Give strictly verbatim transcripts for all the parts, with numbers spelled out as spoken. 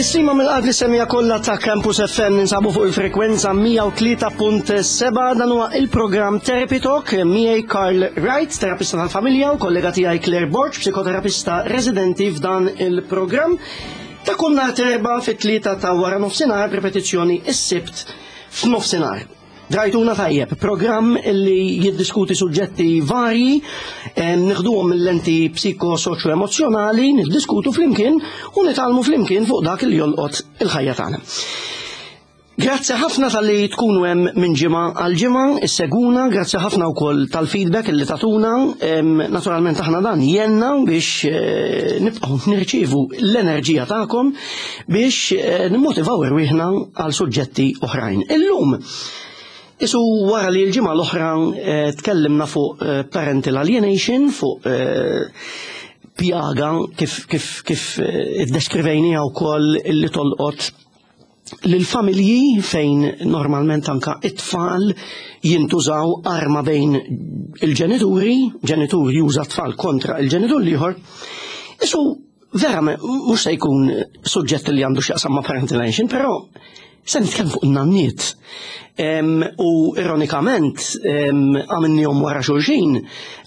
Tislima mill-qalb lis-semmiegħa kollha ta' Campus F M. Ninsabu fuq il-frekwenza mija u tlieta punt sebgħa. Dan huwa il-programm Therapy Talk miegħi Karl Wright, terapista tal-familja, u kollega tiegħi Claire Borg, psikoterapista residenti f'dan il-programm. Ta' kull nhar t'Erbgħa fit-tlieta ta' wara nofsinhar, repetizzjoni is-Sibt f'nofsinhar. Drajtuna tajjeb, programm li jiddiskuti suġġetti varji, neħduhom mill-lenti psiko-soċjo-emozjonali, niddiskutu flimkien u nitgħallmu flimkien fuq dak li jolqot il-ħajja tagħna. Grazzi ħafna talli tkunu hemm minn ġimgħa għal ġimgħa, issegwuna, grazzi ħafna wkoll tal-feedback illi tagħtuna. Naturalment aħna dan jgħinna biex eh, nibqgħu nirċievu l-enerġija tagħkom biex eh, nimmotivaw irwieħna għal suġġetti oħrajn. Illum, Isu wara li l-ġimgħa l-oħra eh, tkellimna fuq eh, parental alienation, fuq eh, pjaga kif kif kif iddeskrivejniha wkoll illi tolqot lill-familji, fejn normalment anka it-tfal jintużaw arma bejn il-ġenituri, ġenitur juża tfal kontra il-ġenitur l-ieħor. Isu vera mhux se jkun suġġett li għandu x'jaqsam ma' parental alienation, però se nitkellem fuq in-nanniet. U ironikament għamilnihom wara xulxin,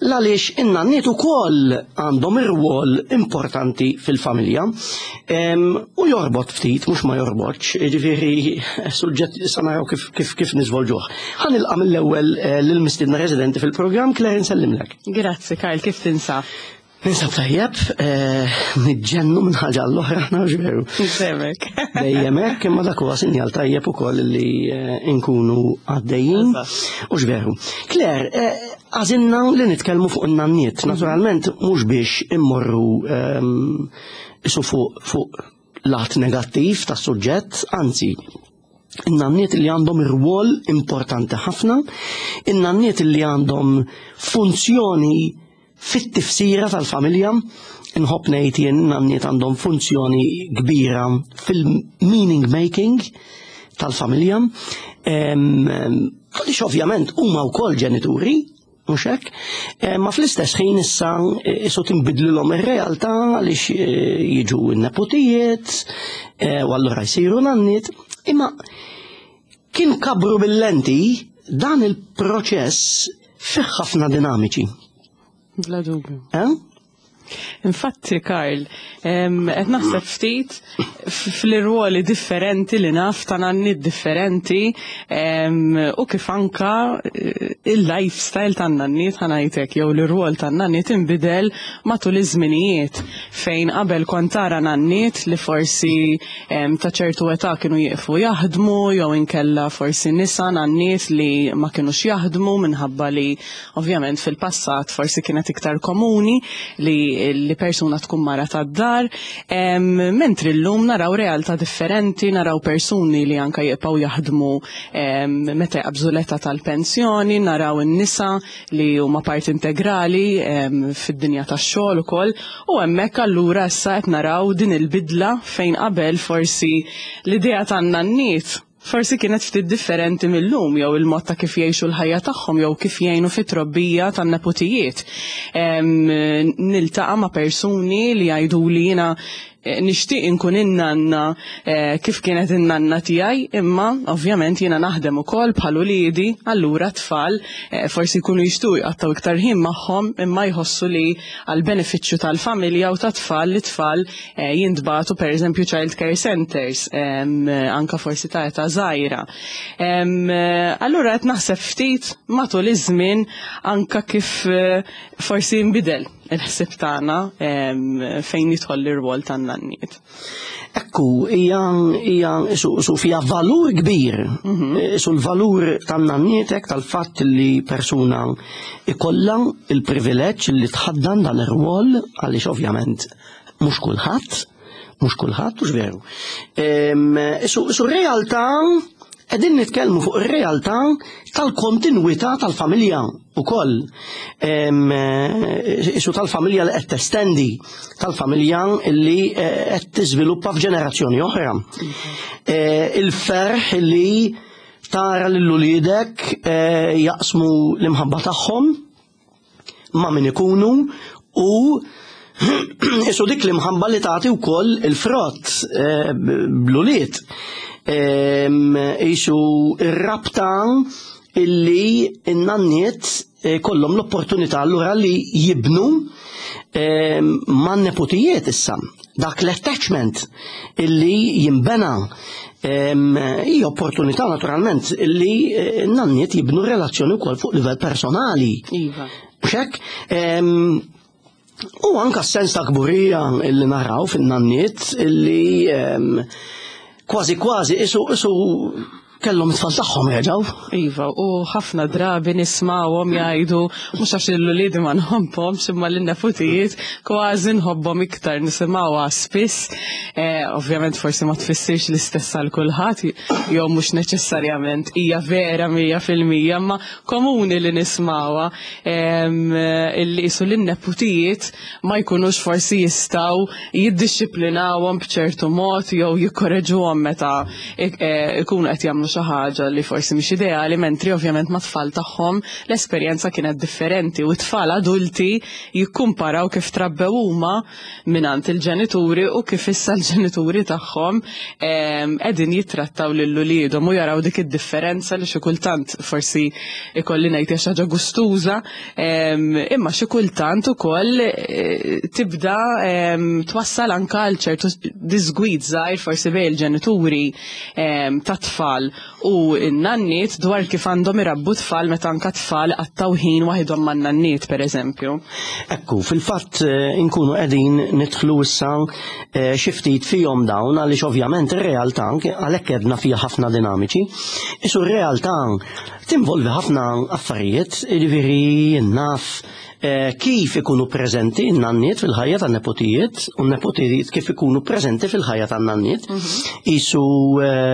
għaliex in-nanniet ukoll għandhom ir-rwol importanti fil-familja. U jorbot ftit, mhux ma jorbotx, ġifieri suġġett sa naraw kif kif kif niżvolġuh. Ħa nilqa' mill-ewwel eh, lill-mistiedna residenti fil-programm. Claire, nsellimlek. Grazzi, Karl, kif tinsab? Ninsab tajjeb, eh, niġġennu minn ħaġa l-oħra, aħna veru. Semek. Dejjem hekk, imma dak huwa sinjal tajjeb ukoll li eh, nkunu għaddejjin. U veru. Claire, eh, għażilna li nitkellmu fuq in-nanniet. Naturalment mhux biex immorru ehm, isu fuq fuq lat negattiv tas-suġġett, anzi, in-nanniet li għandhom irwol importanti ħafna, in-nanniet li għandhom funzjoni fit-tifsira tal-familja, nħobb ngħid jien nanniet għandhom funzjoni kbira fil-meaning making tal-familja. Għaliex ovvjament huma wkoll ġenituri, mhux hekk, ma fl-istess ħin issa isu tinbidlilhom ir-realtà għaliex eh, jiġu n-nepotijiet eh, u allura jsiru nanniet, imma kien kabru bil-lenti dan il-proċess fih ħafna dinamiċi. Bla dubju. Eh? Infatti, Karl, qed naħseb ftit fl-irwoli differenti li naf ta' nanniet differenti u kif anka eh, il-lifestyle ta' nanniet, ħa ngħidlek, jew l-irwol ta' nanniet inbidel matul iż-żminijiet, fejn qabel kont tara nanniet li forsi ta' ċertu età kienu jieqfu jaħdmu jew inkella forsi nisa nanniet li ma kienux jaħdmu minħabba li ovvjament fil-passat forsi kienet iktar komuni li li persuna tkun mara tad-dar, mentri llum naraw realtà differenti, naraw persuni li anka jibqgħu jaħdmu meta jaqbżu l-età tal-pensjoni, naraw in-nisa li huma parti integrali fid-dinja tax-xogħol ukoll, u hemmhekk allura issa qed naraw din il-bidla fejn qabel forsi l-idea tan-nanniet forsi kienet ftit differenti mill-lum, jew il-mod ta' kif jgħixu l-ħajja tagħhom jew kif jgħinu fit-trobbija tan-nepotijiet. Niltaqa' ma' persuni li jgħidu li jiena eh, nixtieq inkun in-nanna eh, kif kienet in-nanna tiegħi, imma ovvjament jiena naħdem ukoll bħal uliedi, allura tfal eh, forsi jkunu jixtiequ jqattgħu iktar ħin magħhom, imma jħossu li għal benefiċċju tal-familja u tat-tfal li tfal jintbagħtu pereżempju child care centers, anka forsi ta' età żgħira. Allura qed naħseb ftit matul iż-żmien anka kif forsi nbidel il-ħsib tagħna fejn jidħol l-irwol tan-nanniet. Ekku, hija hija su fija valur kbir. Mhm. Su l-valur tan-nannietek, tal-fatt li persuna ikollha il-privileġġ li tħaddan dan ir-rwol, għaliex ovvjament mhux kulħadd, mhux kulħadd, mhux veru. Su realtà qegħdin nitkellmu fuq ir-realtà tal-kontinwità tal-familja ukoll. Isu tal-familja li qed testendi, tal-familja li eh, qed tiżviluppa f'ġenerazzjoni oħra. Eh, il-ferħ li tara lil uliedek eh, jaqsmu l-imħabba tagħhom ma' min ikunu u Isu dik l-imħabba li tagħti wkoll il-frott eh, bl-ulied. Isu ir-rabta illi n-nanniet eh, kollhom l-opportunità allura li jibnu man nepotijiet issa. Dak l-attachment illi jimbena hija opportunità naturalment illi eh, n-nanniet jibnu relazzjoni wkoll fuq livell personali. Iva. Mhux hekk? U anka s-sens ta' kburija illi naraw fin-nanniet illi kważi kważi isu isu kellhom it-tfal tagħhom jerġgħu. Iva, u ħafna drabi nismawhom jgħidu mhux għax l-ulied ma nħobbhomx imma lin-neputijiet kważi nħobbhom iktar, nisimgħuha spiss. Eh, ovvjament forsi ma tfissirx l-istess għal kulħadd jew mhux neċessarjament hija vera mija fil-mija, imma komuni li nismawha illi qisu lin-neputijiet ma jkunux forsi jistgħu jiddixxiplinawhom b'ċertu mod jew jikkoreġuhom meta ikunu qed jagħmlu xi ħaġa li forsi mhix ideali, mentri ovvjament ma' tfal tagħhom l-esperjenza kienet differenti u t-tfal adulti jikkumparaw kif trabbew huma mingħand il-ġenituri u kif issa l-ġenituri tagħhom qegħdin jittrattaw lil uliedhom u jaraw dik id-differenza li xi kultant forsi ikolli ngħid hija xi ħaġa gustuża, imma xi kultant ukoll tibda twassal anke għal ċertu disgwid żgħir forsi bejn il-ġenituri tat-tfal u n-nanniet dwar kif għandhom irabbu tfal meta anka tfal qattaw ħin waħedhom man-nanniet pereżempju. Ekku, fil-fatt inkunu qegħdin nidħlu issa xi ftit fihom dawn għaliex ovvjament ir-realtà għalhekk edna fiha ħafna dinamiċi. Isu r-realtà tinvolvi ħafna affarijiet, jiġifieri naf kif ikunu preżenti n-nanniet fil-ħajja tan-nepotijiet u n-nepotijiet kif ikunu preżenti fil-ħajja tan-nanniet. Isu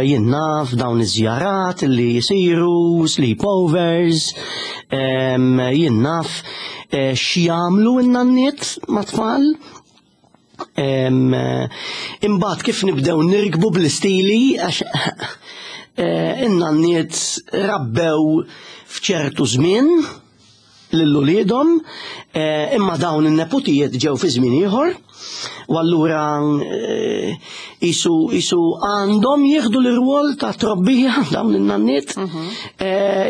jien naf dawn iż-żjarat li jisiru, sleepovers, jien naf x'jagħmlu n-nanniet mat-tfal. Imbagħad kif nibdew nirkbu bl-istili għax in-nanniet rabbew f'ċertu żmien lil uliedhom, imma dawn in-nepotijiet ġew fi żmien ieħor, u allura isu isu għandhom jieħdu l-irwol ta' trobbija dawn in-nanniet,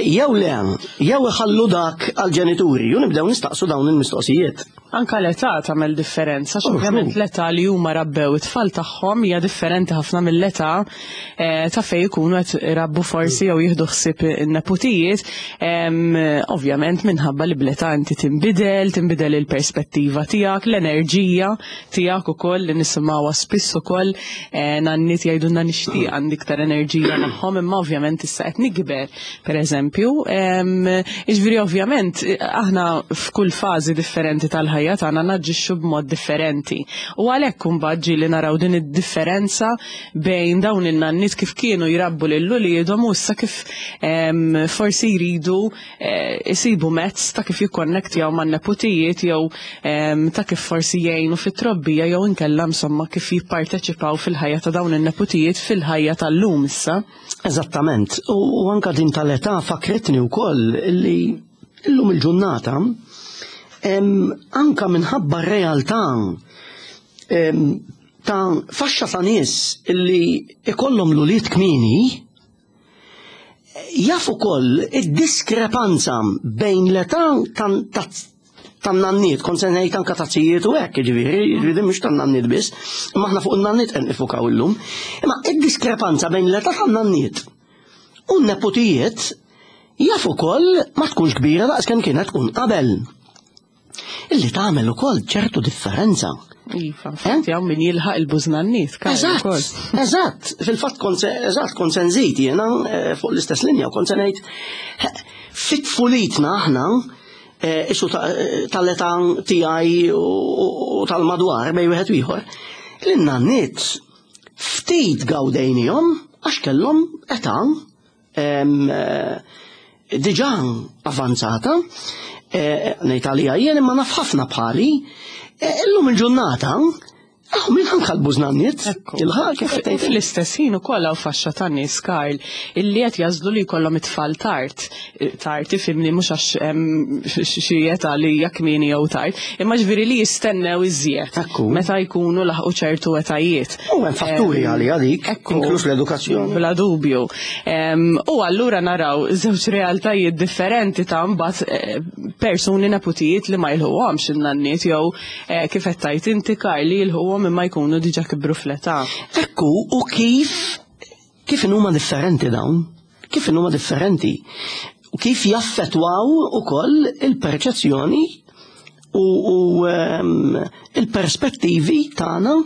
jew le, jew iħallu dak għall-ġenituri, u nibdew nistaqsu dawn il-mistoqsijiet. Anka l-età tagħmel differenza, għax ovvjament l-età li huma rabbew it-tfal tagħhom hija differenti ħafna mill-età ta' fejn ikunu qed irabbu forsi jew jieħdu ħsieb in-nepotijiet, ovvjament minħabba li bl-età inti tinbidel, tinbidel il-perspettiva tiegħek, l-enerġija tiegħek ukoll li nisimgħuha spiss ukoll nanniet jgħidulna nixtieq għandi iktar enerġija magħhom, imma ovvjament issa qed nikber, pereżempju. Jiġifieri ovvjament aħna f'kull fażi differenti tal-ħajja tagħna naġixxu b'mod differenti. U għalhekk imbagħad ġieli naraw din id-differenza bejn dawn in-nanniet kif kienu jrabbu lil uliedhom u issa kif forsi jridu isibu mezz ta' kif jikkonnektjaw man-nepotijiet jew ta' kif forsi jgħinu fit-trobbija jew inkella insomma kif jipparteċipaw fil-ħajja ta' dawn in-nepotijiet fil-ħajja tal-lum issa. Eżattament. U anka din tal-età fakritni wkoll li llum il-ġurnata anka minħabba r-realtà ta' faxxa ta' nies illi ikollhom l-ulied kmieni, jaf ukoll id-diskrepanza bejn l-età tan-nanniet, kont se ngħid anka ta' zijiet u hekk, jiġifieri, jiġifieri mhux tan-nanniet biss, imma aħna fuq in-nanniet qed nifukaw illum. Imma id-diskrepanza bejn l-età tan-nanniet u n-nepotijiet jaf ukoll ma tkunx kbira daqs kemm kienet tkun qabel. Illi tagħmel ukoll ċertu differenza. Iva, infatti hawn min jilħaq il-bużnanniet. Eżatt, eżatt, fil-fatt kont eżatt kont se nżid jiena fuq l-istess linja u kont se ngħid fit-tfulitna aħna isu tal-età tiegħi u tal-madwar bejn wieħed u ieħor, lin-nanniet ftit gawdejnihom għax kellhom età diġà avanzata, ngħid għalija jien imma naf ħafna bħali, illum il-ġurnata Aħ, minn anka l-bużnanniet, il-ħak kif U fl-istess ħin ukoll hawn faxxa ta' nies, Karl, illi qed jażlu li jkollhom it-tfal tard. Tard ifhimni, mhux għax hemm xi età li hija kmieni jew tard, imma ġifieri li jistennew iżjed Ekku. meta jkunu laħqu ċertu etajiet. U hemm fatturi Em, għali għalik, ekku. inkluż l-edukazzjoni. Bla dubju. Em, U allura naraw żewġ realtajiet differenti ta' mbagħad eh, persuni, neputijiet li ma jilħuhomx in-nanniet jew eh, kif qed tgħid inti, Karl, li jilħuhom imma jkunu diġà kibru fl-età. Ekku, u kif kif huma differenti dawn? Kif huma differenti? U kif jaffetwaw ukoll il-perċezzjoni u, u um, il-perspettivi tagħna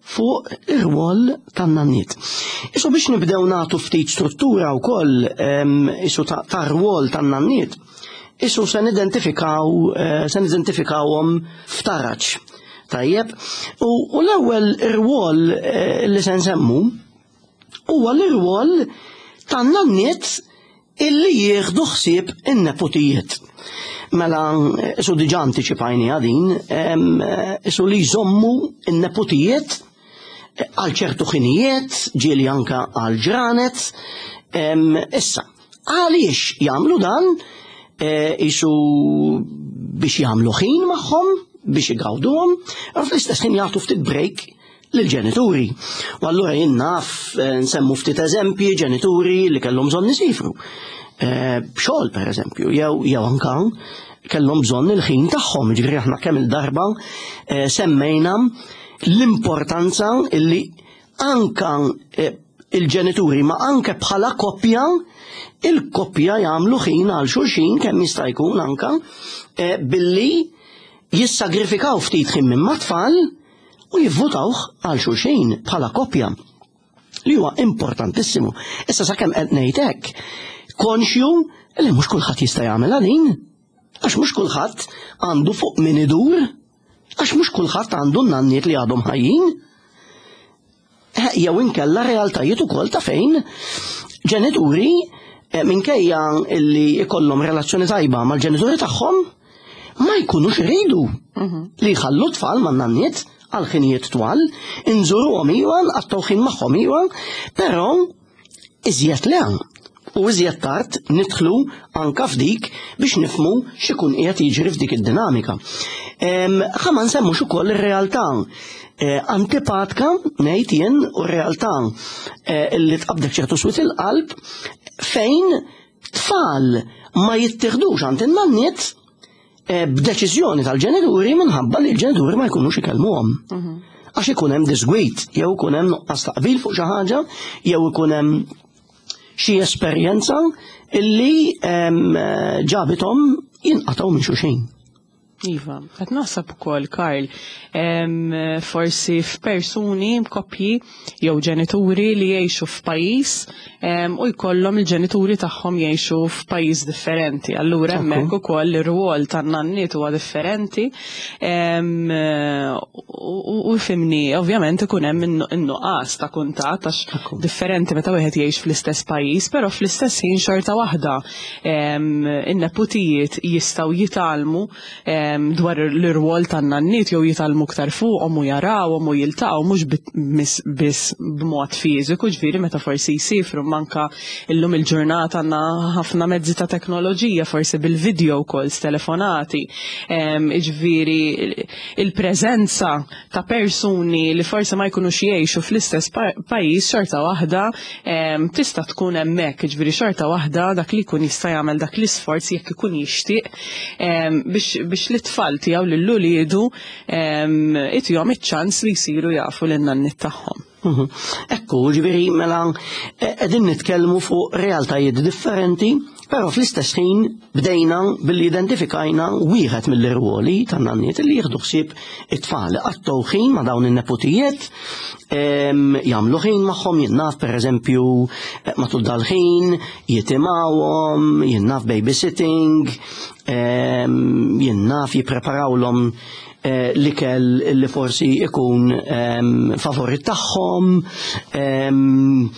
fuq ir-rwol tan-nanniet. Isu biex nibdew nagħtu ftit struttura wkoll um, isu ta' tar-rwol tan-nanniet, isu se nidentifikaw eh, se nidentifikawhom f'taraġ. Tajjeb, u, u l-ewwel ir-rwol eh, li se nsemmu huwa l-irwol tan-nanniet illi jieħdu ħsieb in-nepotijiet. Mela, isu diġà antiċipajni din, em, isu li jżommu in-nepotijiet għal ċertu ħinijiet, ġieli anka għal ġranet. Em, Issa, għaliex jagħmlu dan? Eh, Isu biex jagħmlu ħin magħhom, biex igawduhom, u fl-istess ħin jagħtu ftit break lill-ġenituri. U allura jien naf eh, nsemmu ftit eżempji ġenituri li kellhom bżonn isifru. Eh, B'xogħol per eżempju, jew jew anka kellhom bżonn il-ħin tagħhom, ġifieri aħna kemm il-darba eh, semmejna l-importanza illi anka eh, il-ġenituri ma anke bħala koppja, il-koppja jagħmlu ħin għal xulxin kemm jista' jkun anka eh, billi jissagrifikaw ftit ħin minn mat-tfal u jivvutawh għal xulxin bħala koppja, li huwa importantissimu. Issa sakemm qed ngħid hekk, konxju li mhux kulħadd jista' jagħmel din, għax mhux kulħadd għandu fuq min idur, għax mhux kulħadd għandu n-nanniet li għadhom ħajjin. Eh, Jew inkella realtajiet ukoll ta' fejn ġenituri eh, minkejja illi ikollhom relazzjoni tajba mal-ġenituri tagħhom ma jkunux iridu li jħallu tfal man-nanniet għal ħinijiet twal, inżuruhom iwa, nqattgħu ħin magħhom iwa, però iżjed le. U iżjed tard nidħlu anka f'dik biex nifmu x'ikun qiegħed jiġri f'dik id-dinamika. Ħa ma nsemmux ukoll ir-realtà eh, antipatka ngħid jien u r-realtà eh, li tqabdek ċertu swied il-qalb fejn tfal ma jittieħdux għand in-nanniet eh, b'deċiżjoni tal-ġenituri minħabba li l-ġenituri ma jkunux ikellmuhom. Għax ikun hemm disgwit, jew ikun hemm nuqqas taqbil fuq xi ħaġa, jew ikun hemm xi esperjenza illi em, ġabithom jinqatgħu minn xulxin. Iva, qed naħseb ukoll, Karl, em, forsi f'persuni, koppji jew ġenituri li jgħixu f'pajjiż em, u jkollhom il-ġenituri tagħhom jgħixu f'pajjiż differenti. Allura Ekku. hemmhekk ukoll ir-rwol tan-nanniet huwa differenti. Em, u u fhimni, ovvjament ikun hemm in-nuqqas ta' kuntatt għax Ekku. differenti meta wieħed jgħix fl-istess pajjiż, però fl-istess ħin xorta waħda em, in-neputijiet jistgħu jitgħallmu em, dwar l-irwol tan-nanniet jew jitgħallmu aktar fuqhom u jarawhom u jiltaqgħu mhux bit- mis- biss b'mod fiżiku, ġifieri meta forsi jsifru, manka illum il-ġurnata għandna ħafna mezzi ta' teknoloġija, forsi bil-video calls, telefonati, em, ġifieri il-preżenza ta' persuni li forsi ma jkunux jgħixu fl-istess pa- pajjiż xorta waħda em, tista' tkun hemmhekk, ġifieri xorta waħda dak li jkun jista' jagħmel dak l-isforz jekk ikun jixtieq em, biex biex l-itfal tiegħu lil uliedu itihom iċ-ċans li jsiru jafu lin-nanniet tagħhom. Mhm. Ekku, ġifieri, mela, eh, qegħdin nitkellmu fuq realtajiet differenti, però fl-istess ħin bdejna billi identifikajna wieħed mill-irwoli tan-nanniet li jieħdu ħsieb it-tfal, qattgħu ħin ma' dawn in-nepotijiet, em, jagħmlu ħin magħhom, jien naf pereżempju eh, matul dal-ħin jitimgħuhom, jien naf babysitting, em, jien naf jippreparawlhom eh, l-ikel li forsi ikun em, favorit tagħhom, em,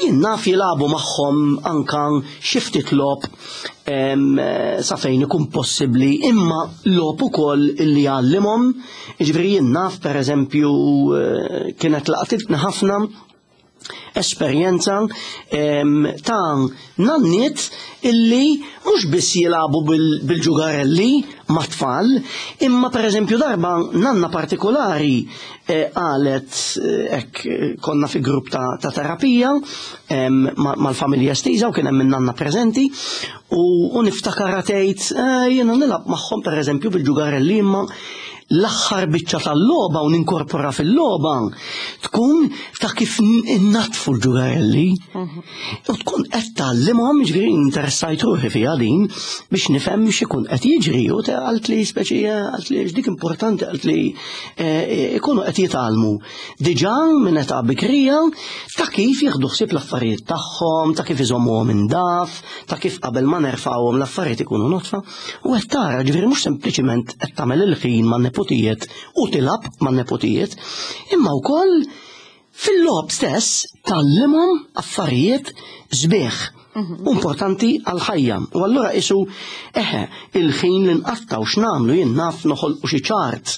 Jien naf jilagħbu magħhom anka xi ftit logħob sa fejn ikun possibbli, imma logħob ukoll illi jgħallimhom. Jiġifieri jien naf, pereżempju, kienet laqtitni ħafna esperjenza ta' nanniet illi mhux biss jilagħbu bil-ġugarelli mat-tfal, imma pereżempju darba nanna partikolari qalet, hekk konna fi grupp ta' terapija mal-familja estiża u kien hemm nanna preżenti, u niftakar tgħid, "Jiena nilgħab magħhom pereżempju bil-ġugarelli, imma l-aħħar biċċa tal-logħba u ninkorpora fil-logħba tkun ta' kif innatfu l-ġugarelli." U tkun qed tgħallimhom, ġifieri interessajt ruħi fiha din biex nifhem x'ikun qed jiġri, u qalt li speċi, qalt li dik importanti, qalt li ikunu qed jitgħallmu diġà minn età bikrija ta' kif jieħdu ħsieb l-affarijiet tagħhom, ta' kif iżommuhom indaf, ta' kif qabel ma nerfgħuhom l-affarijiet ikunu notfa. U qed tara, ġifieri mhux sempliċiment qed tagħmel il-ħin man nepotijiet u tilgħab man nepotijiet, imma wkoll fil-logħob stess tgħallimhom affarijiet sbieħ, importanti għal-ħajja. U allura isu eħe, il-ħin li nqattaw x'nagħmlu, jien naf noħolqu xi ċart.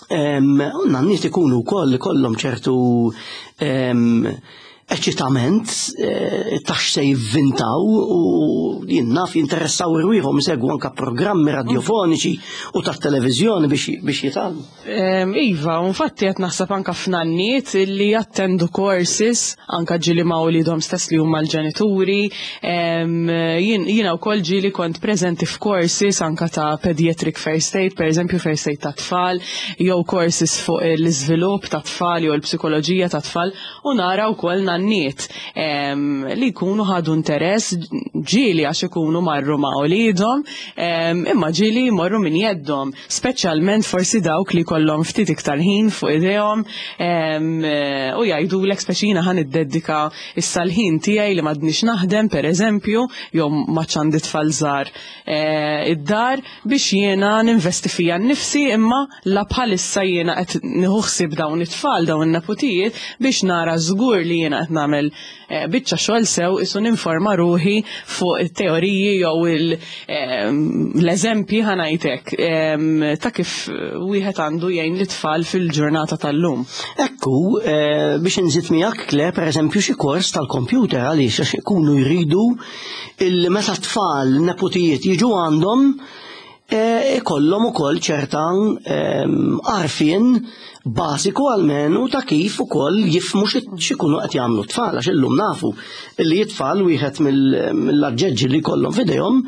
U nanniet ikunu wkoll ikollhom ċertu eċitament ta' x'se jivvintaw, u jien naf jinteressaw irwieħhom isegwu anka programmi radiofoniċi u tat-televiżjoni biex jitgħallmu. Iva, infatti qed naħseb anka f'nanniet li jattendu courses anka ġieli ma' wliedhom stess li huma l-ġenituri. Jiena wkoll ġieli kont preżenti f'courses anka ta' pediatric first aid, pereżempju first aid ta' tfal, jew courses fuq l-iżvilupp ta' tfal jew l-psikoloġija ta' tfal, u nara wkoll nanniet li jkunu ħadu interess, ġieli għax ikunu marru ma' wliedhom, imma ġieli jmorru minn jeddhom, speċjalment forsi dawk li kollhom ftit iktar ħin fuq idejhom u jgħidulek speċi jiena ħa niddedika issa l-ħin tiegħi li m'għadniex naħdem pereżempju, jew ma għandi tfal żgħar id-dar, biex jiena ninvesti fija nnifsi, imma la bħalissa jiena qed nieħu ħsieb dawn it-tfal, dawn in-nepotijiet, biex nara żgur li jiena qed nagħmel biċċa xogħol sew, isu ninforma ruħi fuq it-teoriji jew l-eżempji, ħa ngħidlek, ta' kif wieħed għandu jgħin l-tfal fil-ġurnata tal-lum. Ekku, biex nżid miegħek Kle, pereżempju xi kors tal-kompjuter, għaliex għax ikunu jridu il meta tfal nepotijiet jiġu għandhom ikollhom ukoll ċerta għarfien bażiku almenu ta' kif ukoll jifhmu x'ikunu qed jagħmlu tfal, għax illum nafu li t-tfal wieħed mill-aġġeġġi li jkollhom f'idejhom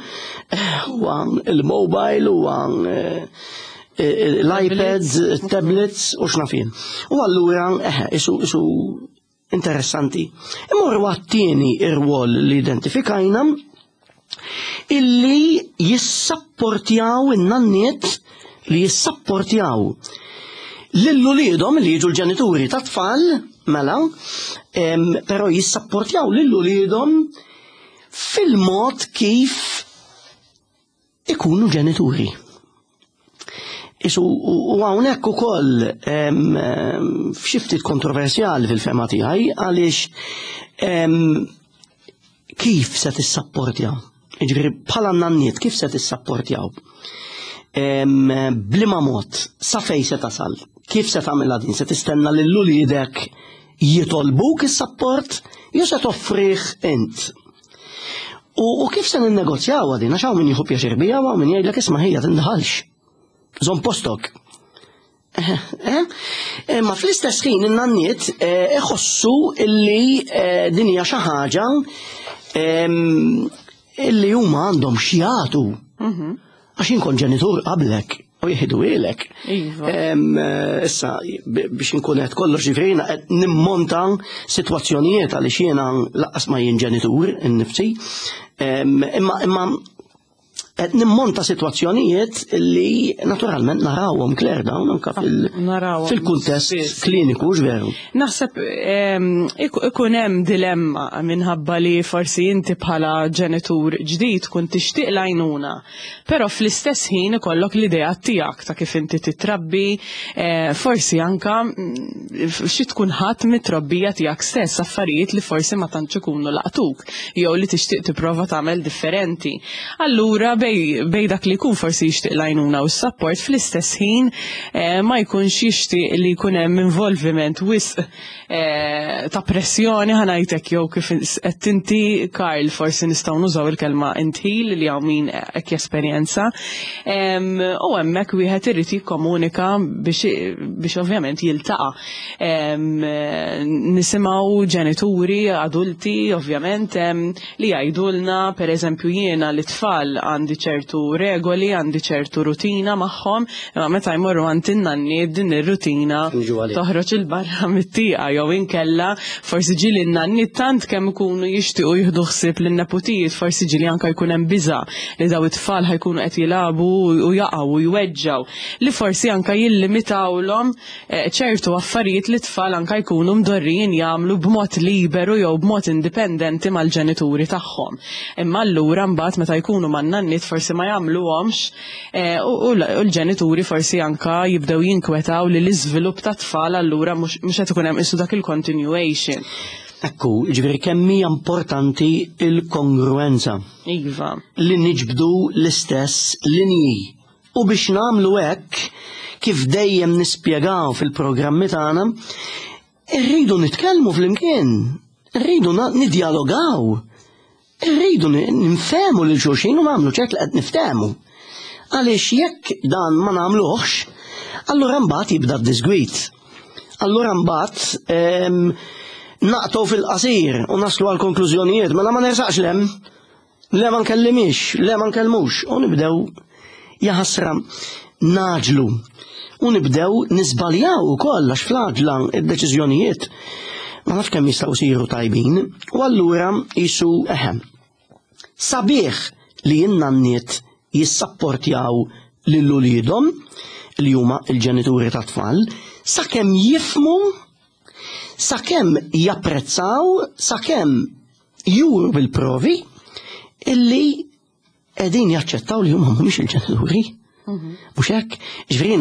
huwa il-mobile, huwa l-iPads, tablets u x'naf jien. U allura eħe, isu isu interessanti. Immorru għat-tieni ir-rwol li identifikajna, illi jissapportjaw in-nanniet, li jissapportjaw lil uliedhom li jiġu l-ġenituri ta' tfal, mela, però jissapportjaw lil uliedhom fil-mod kif ikunu ġenituri. Isu, u hawnhekk ukoll f'xi ftit kontroversjali fil-fehma tiegħi, għaliex kif se tissapportjaw? Jiġifieri bħala nanniet kif se tissapportjaw? B'liema mod, sa fejn se tasal? Kif se tagħmilha din? Se tistenna lil uliedek jitolbuk is-sapport jew se toffrih int? U kif se ninnegozjaw din? Għax hawn min jieħu pjaċir biha u hawn min jgħidlek, "Isma' ħija, tindaħalx. Żomm postok." Ma fl-istess ħin in-nanniet iħossu illi din hija xi ħaġa illi huma għandhom x'jagħtu. Għax jien kont ġenitur qablek u jieħdu ilek. Issa, biex inkun qed kollox, ġifieri qed nimmonta sitwazzjonijiet għaliex jiena lanqas ma jien ġenitur innifsi. Imma imma Qed nimmonta sitwazzjonijiet li naturalment narawhom, Claire, dawn anka fil-kuntest kliniku, veru. Naħseb ikun hemm dilemma minħabba li forsi inti bħala ġenitur ġdid kun tixtieq l-għajnuna, però fl-istess ħin ikollok l-idea tiegħek ta' kif inti titrabbi, forsi anka xi tkun ħadd mit-trobbija tiegħek stess, affarijiet li forsi ma tantx ikunu laqtuk jew li tixtieq tipprova tagħmel differenti. Allura bej bej dak li jkun forsi jixtieq l-għajnuna u s-support, fl-istess ħin ma jkunx jixtieq li jkun hemm involviment wisq ta' pressjoni, ħa ngħidlek, jew kif qed inti, Karl, forsi nistgħu nużaw il-kelma indħil li hawn min hekk jesperjenza. U hemmhekk wieħed irid jikkomunika biex ovvjament jiltaqa'. Nisimgħu ġenituri adulti ovvjament li jgħidulna, pereżempju, jiena l-tfal għandi ċertu regoli, għandi ċertu rutina magħhom, imma meta jmorru għand in-nanni din ir-rutina toħroġ il-barra mit-tieqa, jew inkella forsi ġieli n-nanni tant kemm ikunu jixtiequ jieħdu ħsieb lin-neputijiet, forsi ġieli anke jkun hemm biża' li daw it-tfal ħajkunu qed jilagħbu u jaqgħu u jweġġgħu, li forsi anke jillimitawlhom ċertu affarijiet li t-tfal anke jkunu mdorrijin jagħmlu b'mod liberu jew b'mod indipendenti mal-ġenituri tagħhom. Imma allura mbagħad meta jkunu man-nanniet forsi ma jagħmluhomx, u l-ġenituri forsi anka jibdew jinkwetaw li l-iżvilupp ta' tfal allura mhux qed ikun hemm isu dak il-continuation. Ekku, ġifieri kemm hija importanti il-kongruenza. Iva. Li niġbdu l-istess linji. U biex nagħmlu hekk, kif dejjem nispjegaw fil-programmi tagħna, irridu nitkellmu flimkien, irridu nidjalogaw. Irridu nifhmu lil xulxin u nagħmlu ċert li qed niftehmu. Għaliex jekk dan ma nagħmluhx, allura mbagħad jibda d-disgwit. Allura mbagħad naqtgħu fil-qasir u naslu għal konklużjonijiet, mela ma nersaqx lem, le ma nkellimix, le ma nkellmux, u nibdew jaħasra naġlu. U nibdew nisbaljaw ukoll għax fl-għaġla id-deċiżjonijiet ma nafx kemm jistgħu jsiru tajbin, u allura jisu eħem. Sabiħ li n-nanniet jissapportjaw lil uliedhom li huma l-ġenituri ta' tfal, sakemm jifmu, sakemm japprezzaw, sakemm juru bil-provi illi qegħdin jaċċettaw li huma mhumiex il-ġenituri. Mhux hekk, ġifieri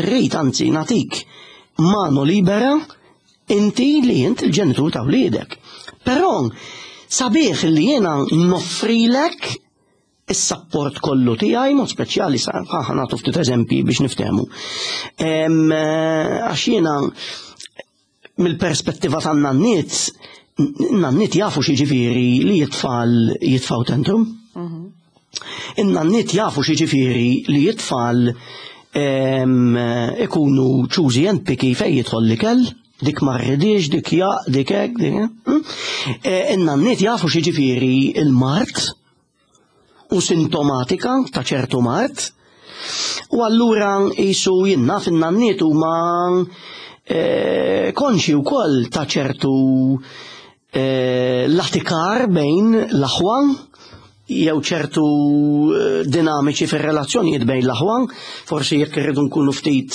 rrid anzi nagħtik mano libera inti li int il-ġenitur ta' wliedek. Però sabiħ li jiena noffrilek is-sapport kollu tiegħi, mod speċjali sa ħa nagħtu ftit eżempji biex niftehmu. Għax jiena mill-perspettiva tan-nanniet, n-nanniet jafu xi ġifieri li t-tfal jitfgħu tantrum. In-nanniet jafu xi ġifieri li t-tfal ikunu choosy and picky fejn jidħol l-ikel, dik ma rridix, dik jaq, dik hekk, dik. In-nanniet jafu xi ġifieri il-mard u sintomatika ta' ċertu mard. U allura jisu jinna fin-nanniet huma konxi wkoll ta' ċertu latikar bejn l-aħwa jew ċertu dinamiċi fir-relazzjonijiet bejn l-aħwa, forsi jekk irridu nkunu ftit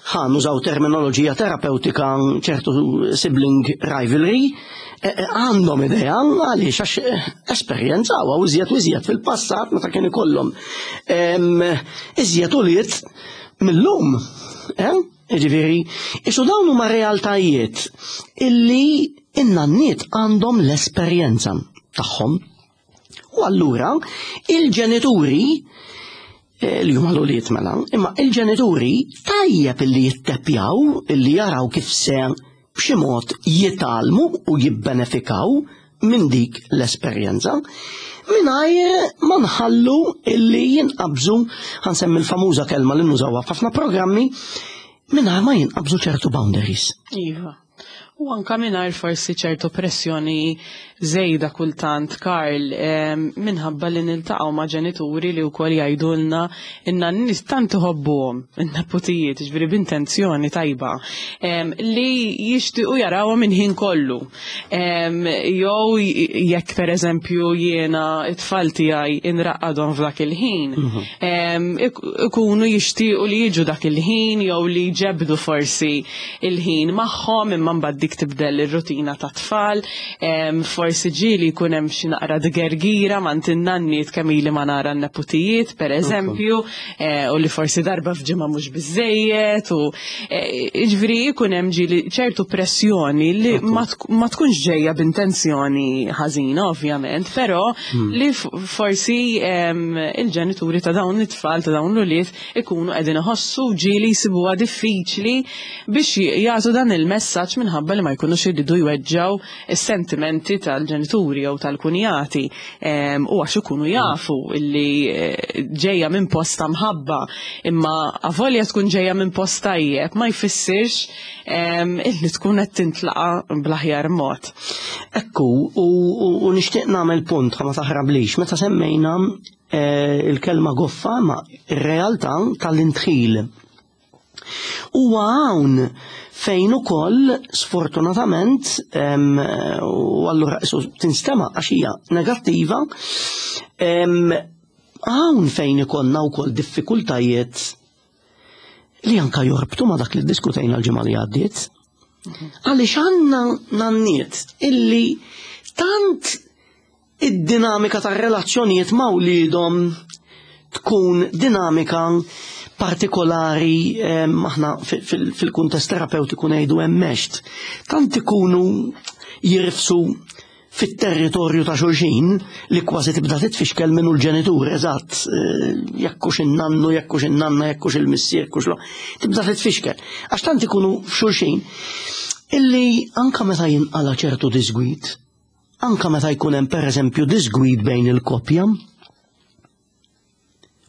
ħa nużaw terminoloġija terapeutika, ċertu sibling rivalry, għandhom idea għaliex għax esperjenzaw u iżjed u iżjed fil-passat meta kien ikollhom iżjed ulied mill-lum. Ġifieri, isu dawn huma realtajiet illi in-nanniet għandhom l-esperjenza tagħhom. U allura il-ġenituri li huma l-ulied mela, imma il-ġenituri tajjeb illi jittepjaw, illi jaraw kif se b'xi mod jitgħallmu u jibbenefikaw minn dik l-esperjenza, mingħajr ma nħallu illi jinqabżu, ħa nsemmi l-famuża kelma li nużawha f'ħafna programmi, mingħajr ma jinqabżu ċertu boundaries. Iva. U anka mingħajr forsi ċertu pressjoni żejda kultant, Karl, minħabba li niltaqgħu ma' ġenituri li wkoll jgħidulna inna n-nies tant iħobbuhom, in-neputijiet, ġifieri b'intenzjoni tajba, li jixtiequ jarawhom minn ħin kollu. Jew jekk pereżempju jiena it-tfal tiegħi inraqqadhom f'dak il-ħin, ikunu jixtiequ li jiġu dak il-ħin jew li jġebdu forsi il-ħin magħhom, imma mbagħad dik tibdel ir-rutina ta' tfal, forsi ġieli jkun hemm xi naqra dgergira ma' in-nanniet kemm ili ma nara n-neputijiet, pereżempju, u li forsi darba f'ġimgħa mhux biżejjed, u jiġifieri jkun hemm ġieli ċertu pressjoni li ma tkunx ġejja b'intenzjoni ħażina ovvjament, però li forsi il-ġenituri ta' dawn it-tfal, ta' dawn l-ulied ikunu qegħdin iħossu ġieli jsibuha diffiċli biex jagħtu dan il-messaġġ minħabba li ma jkunux iridu jweġġaw is-sentimenti tal-ġenituri jew tal-kunjati, u għax ikunu jafu illi ġejja minn post ta' mħabba, imma avolja tkun ġejja minn post tajjeb ma jfissirx illi tkun qed tintlaqa bl-aħjar mod. Ekku, u nixtieq nagħmel punt ħa ma taħrablix, meta semmejna il-kelma goffa ma ir-realtà tal-intħil. Huwa hawn fejn ukoll sfortunatament, u allura tinstema' għax hija negattiva, hawn fejn ikollna wkoll diffikultajiet li anka jorbtu ma dak li ddiskutejna l-ġimgħa li għaddiet. Għaliex għandna nanniet illi tant id-dinamika tar-relazzjonijiet ma' wliedhom tkun dinamika partikolari, aħna fil-kuntest terapeutiku ngħidu hemmhekk, tant ikunu jirfsu fit-territorju ta' xulxin li kważi tibda titfixkel minnu l-ġenitur, eżatt, jekkux in-nannu, jekkux in-nanna, jekkux il-missier, jekkux lo, tibda titfixkel. Għax tant ikunu f'xulxin illi anka meta jinqala ċertu disgwid, anka meta jkun hemm pereżempju disgwid bejn il-koppja,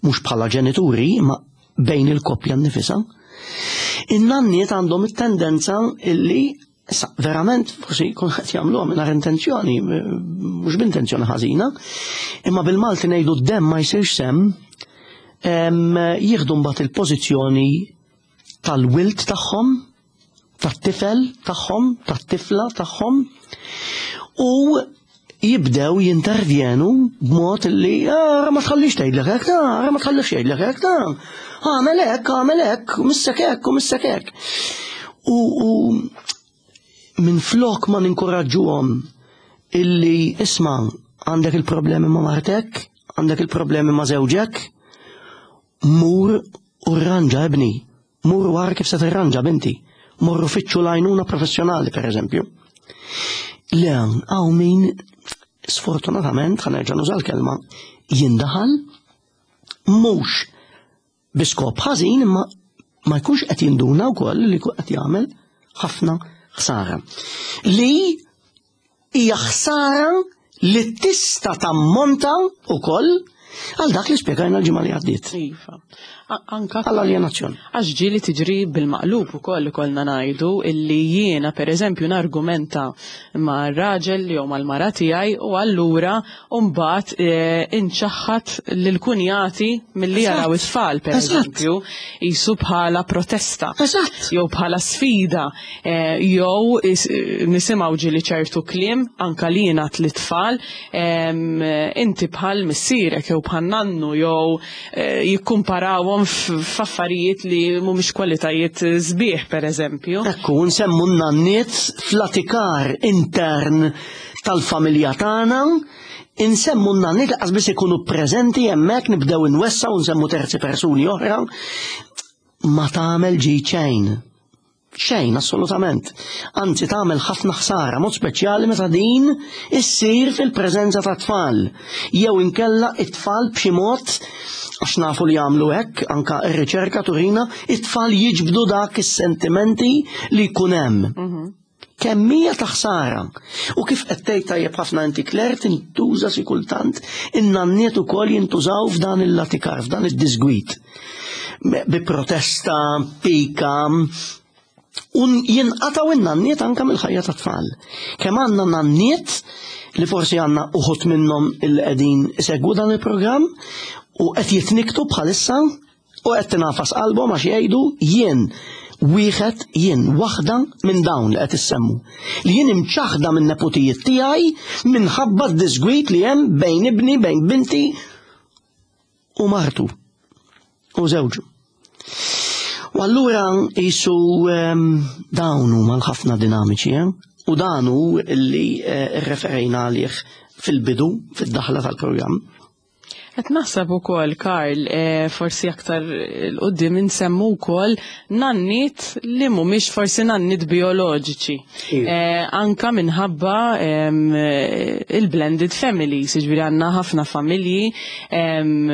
mhux bħala ġenituri, ma bejn il-koppja nnifisha, in-nanniet għandhom it-tendenza illi issa verament forsi jkun qed jagħmluha mingħajr intenzjoni, mhux b'intenzjoni ħażina, imma bil-Malti ngħidu d-demm ma jsirx semm, jieħdu mbagħad il-pożizzjoni tal-wilt tagħhom, tat-tifel tagħhom, tat-tifla tagħhom, u jibdew jintervjenu b'mod li ara ma tħallix tgħidlek hekk, ara ma tħallix jgħidlek hekk, għamel hekk, għamel hekk, u missek hekk, u missek hekk. U minn flok ma ninkoraġġuhom illi isma' għandek il-problemi ma' martek, għandek il-problemi ma' żewġek, mur u rranġa ibni, mur u ara kif se tirranġa binti, morru fittxu l-għajnuna professjonali per eżempju. Le, hawn min sfortunatament, ħa nerġa' nuża l-kelma, jindaħal mhux bi skop ħażin, imma ma jkunx qed jinduna wkoll li jkun qed jagħmel ħafna ħsara. Li hija ħsara li tista' tammonta wkoll għal dak li spjegajna l-ġimgħa li għaddiet. Iva. Anka għall-aljenazzjoni. Għax ġieli tiġri bil-maqlub ukoll ikollna ngħidu illi jiena pereżempju nargumenta ma' raġel jew mal-mara tiegħi u allura mbagħad inċaħħad lill-kunjati milli jaraw it-tfal pereżempju jisu bħala protesta. Eżatt. Jew bħala sfida, jew nisimgħu ġieli ċertu kliem anka li jingħad lit-tfal, inti bħal missierek jew bħal nannu jew jikkumparawhom f'affarijiet li mhumiex kwalitajiet sbieħ pereżempju. Ekku, nsemmu n-nanniet fl-atikar intern tal-familja tagħna, insemmu n-nanniet laqas biss ikunu preżenti hemmhekk, nibdew inwessaw nsemmu terzi persuni oħra, ma tagħmel ġid xejn. Xejn, assolutament. Anzi, tagħmel ħafna ħsara, mod speċjali meta din issir fil-preżenza ta' tfal. Jew inkella it-tfal b'xi mod, għax nafu li jagħmlu hekk, anka r-riċerka turina, it-tfal jiġbdu dak is-sentimenti li jkun hemm. Kemm hija ta' ħsara. U kif qed tgħid tajjeb ħafna inti Claire, tintuża xi kultant in-nanniet ukoll jintużaw f'dan il-latikar, f'dan id-disgwit. Bi protesta, pika, U jinqataw in-nanniet anka mill-ħajja tat-tfal. Kemm għandna nanniet li forsi għandna uħut minnhom il qegħdin isegwu dan il-programm u qed jitniktu bħalissa u qed tingħafas qalbhom għax jgħidu jien wieħed jien waħda minn dawn li qed issemmu. Li jien imċaħda minn neputijiet tiegħi minħabba d-disgwit li hemm bejn ibni, bejn binti u martu u żewġu. U allura jisu um, dawn huma l-ħafna dinamiċi, eh? U dan hu li eh, rreferejna għalih fil-bidu, fid-daħla tal-programm. Qed naħseb ukoll, Karl, eh, forsi aktar 'il quddiem insemmu wkoll nanniet li mhumiex forsi nanniet bioloġiċi. Iva. Eh, anka minħabba em, eh, il-blended families, jiġifieri għandna ħafna familji em,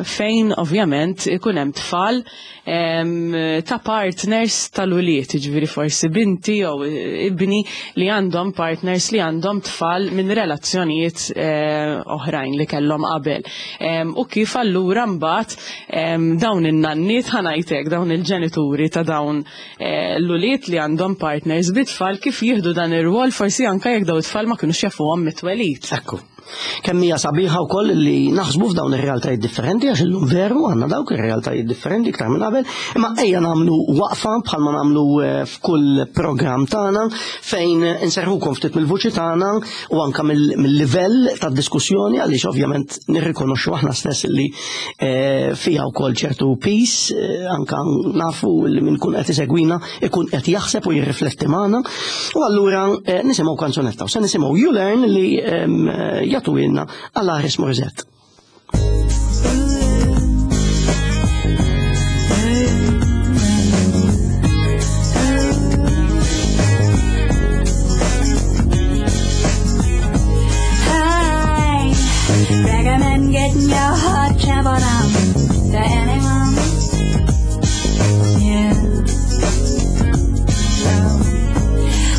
fejn ovvjament ikun hemm tfal em, ta' partners tal-ulied, jiġifieri forsi binti jew ibni li għandhom partners li għandhom tfal minn relazzjonijiet eh, oħrajn li kellhom qabel. Em, U kif allura mbagħad em, dawn in-nanniet ħa ngħidlek, dawn il-ġenituri ta' dawn eh, l-ulied li għandhom partners bit-tfal kif jieħdu dan ir-rwol forsi anka jekk dawn it-tfal ma kinux jafuhom mit-twelid. Ekku. Kemm hija sabiħa wkoll li naħsbu f'dawn ir-realtajiet differenti għax illum veru għandna dawk ir-realtajiet differenti iktar minn qabel, imma ejja nagħmlu waqfa bħalma nagħmlu eh, f'kull programm tagħna fejn inserħukom ftit mill-vuċi tagħna u anka mill- mill-livell tad-diskussjoni għaliex ovvjament nirrikonoxxu aħna stess li eh, fiha wkoll ċertu peace, eh, anka nafu li min kun qed isegwina ikun qed jaħseb u jirrifletti magħna. U allura eh, nisimgħu kanzunetta u se nisimgħu You Learn li em, eh, jagħtuhielna Alanis Morissette. I recommend getting your heart trampled on to anyone. Yeah.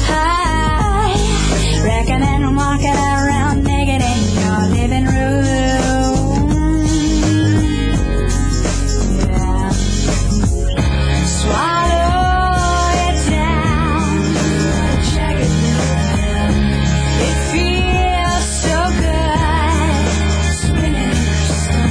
I recommend walking around naked in your living room. Yeah. Swallow it down. Check it out. It feels so good. Spinning in your stomach.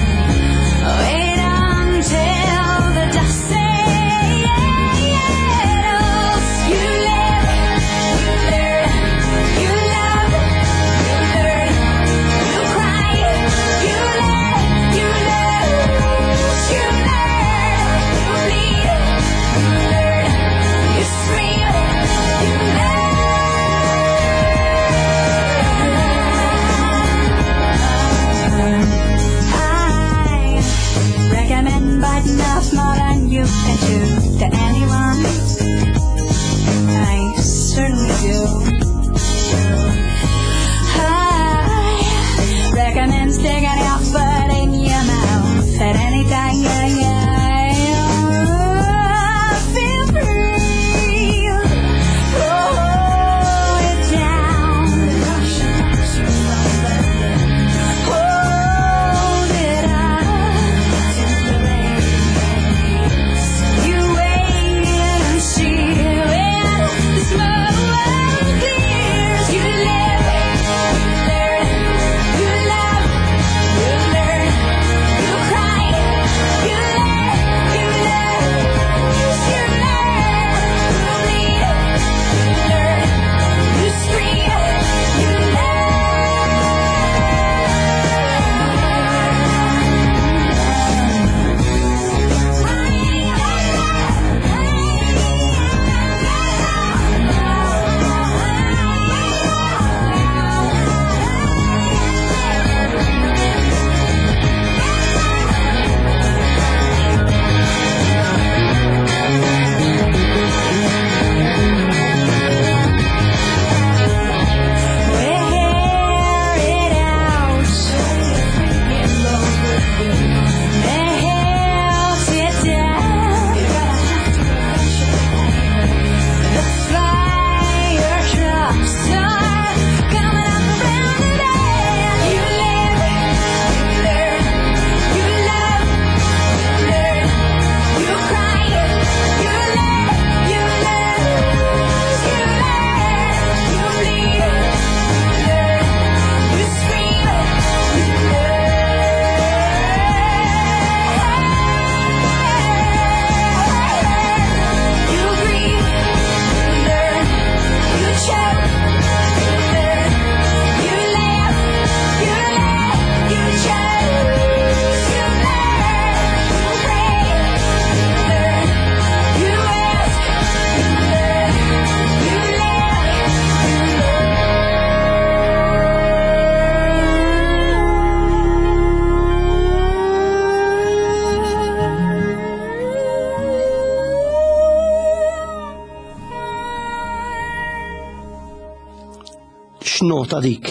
Nota dik.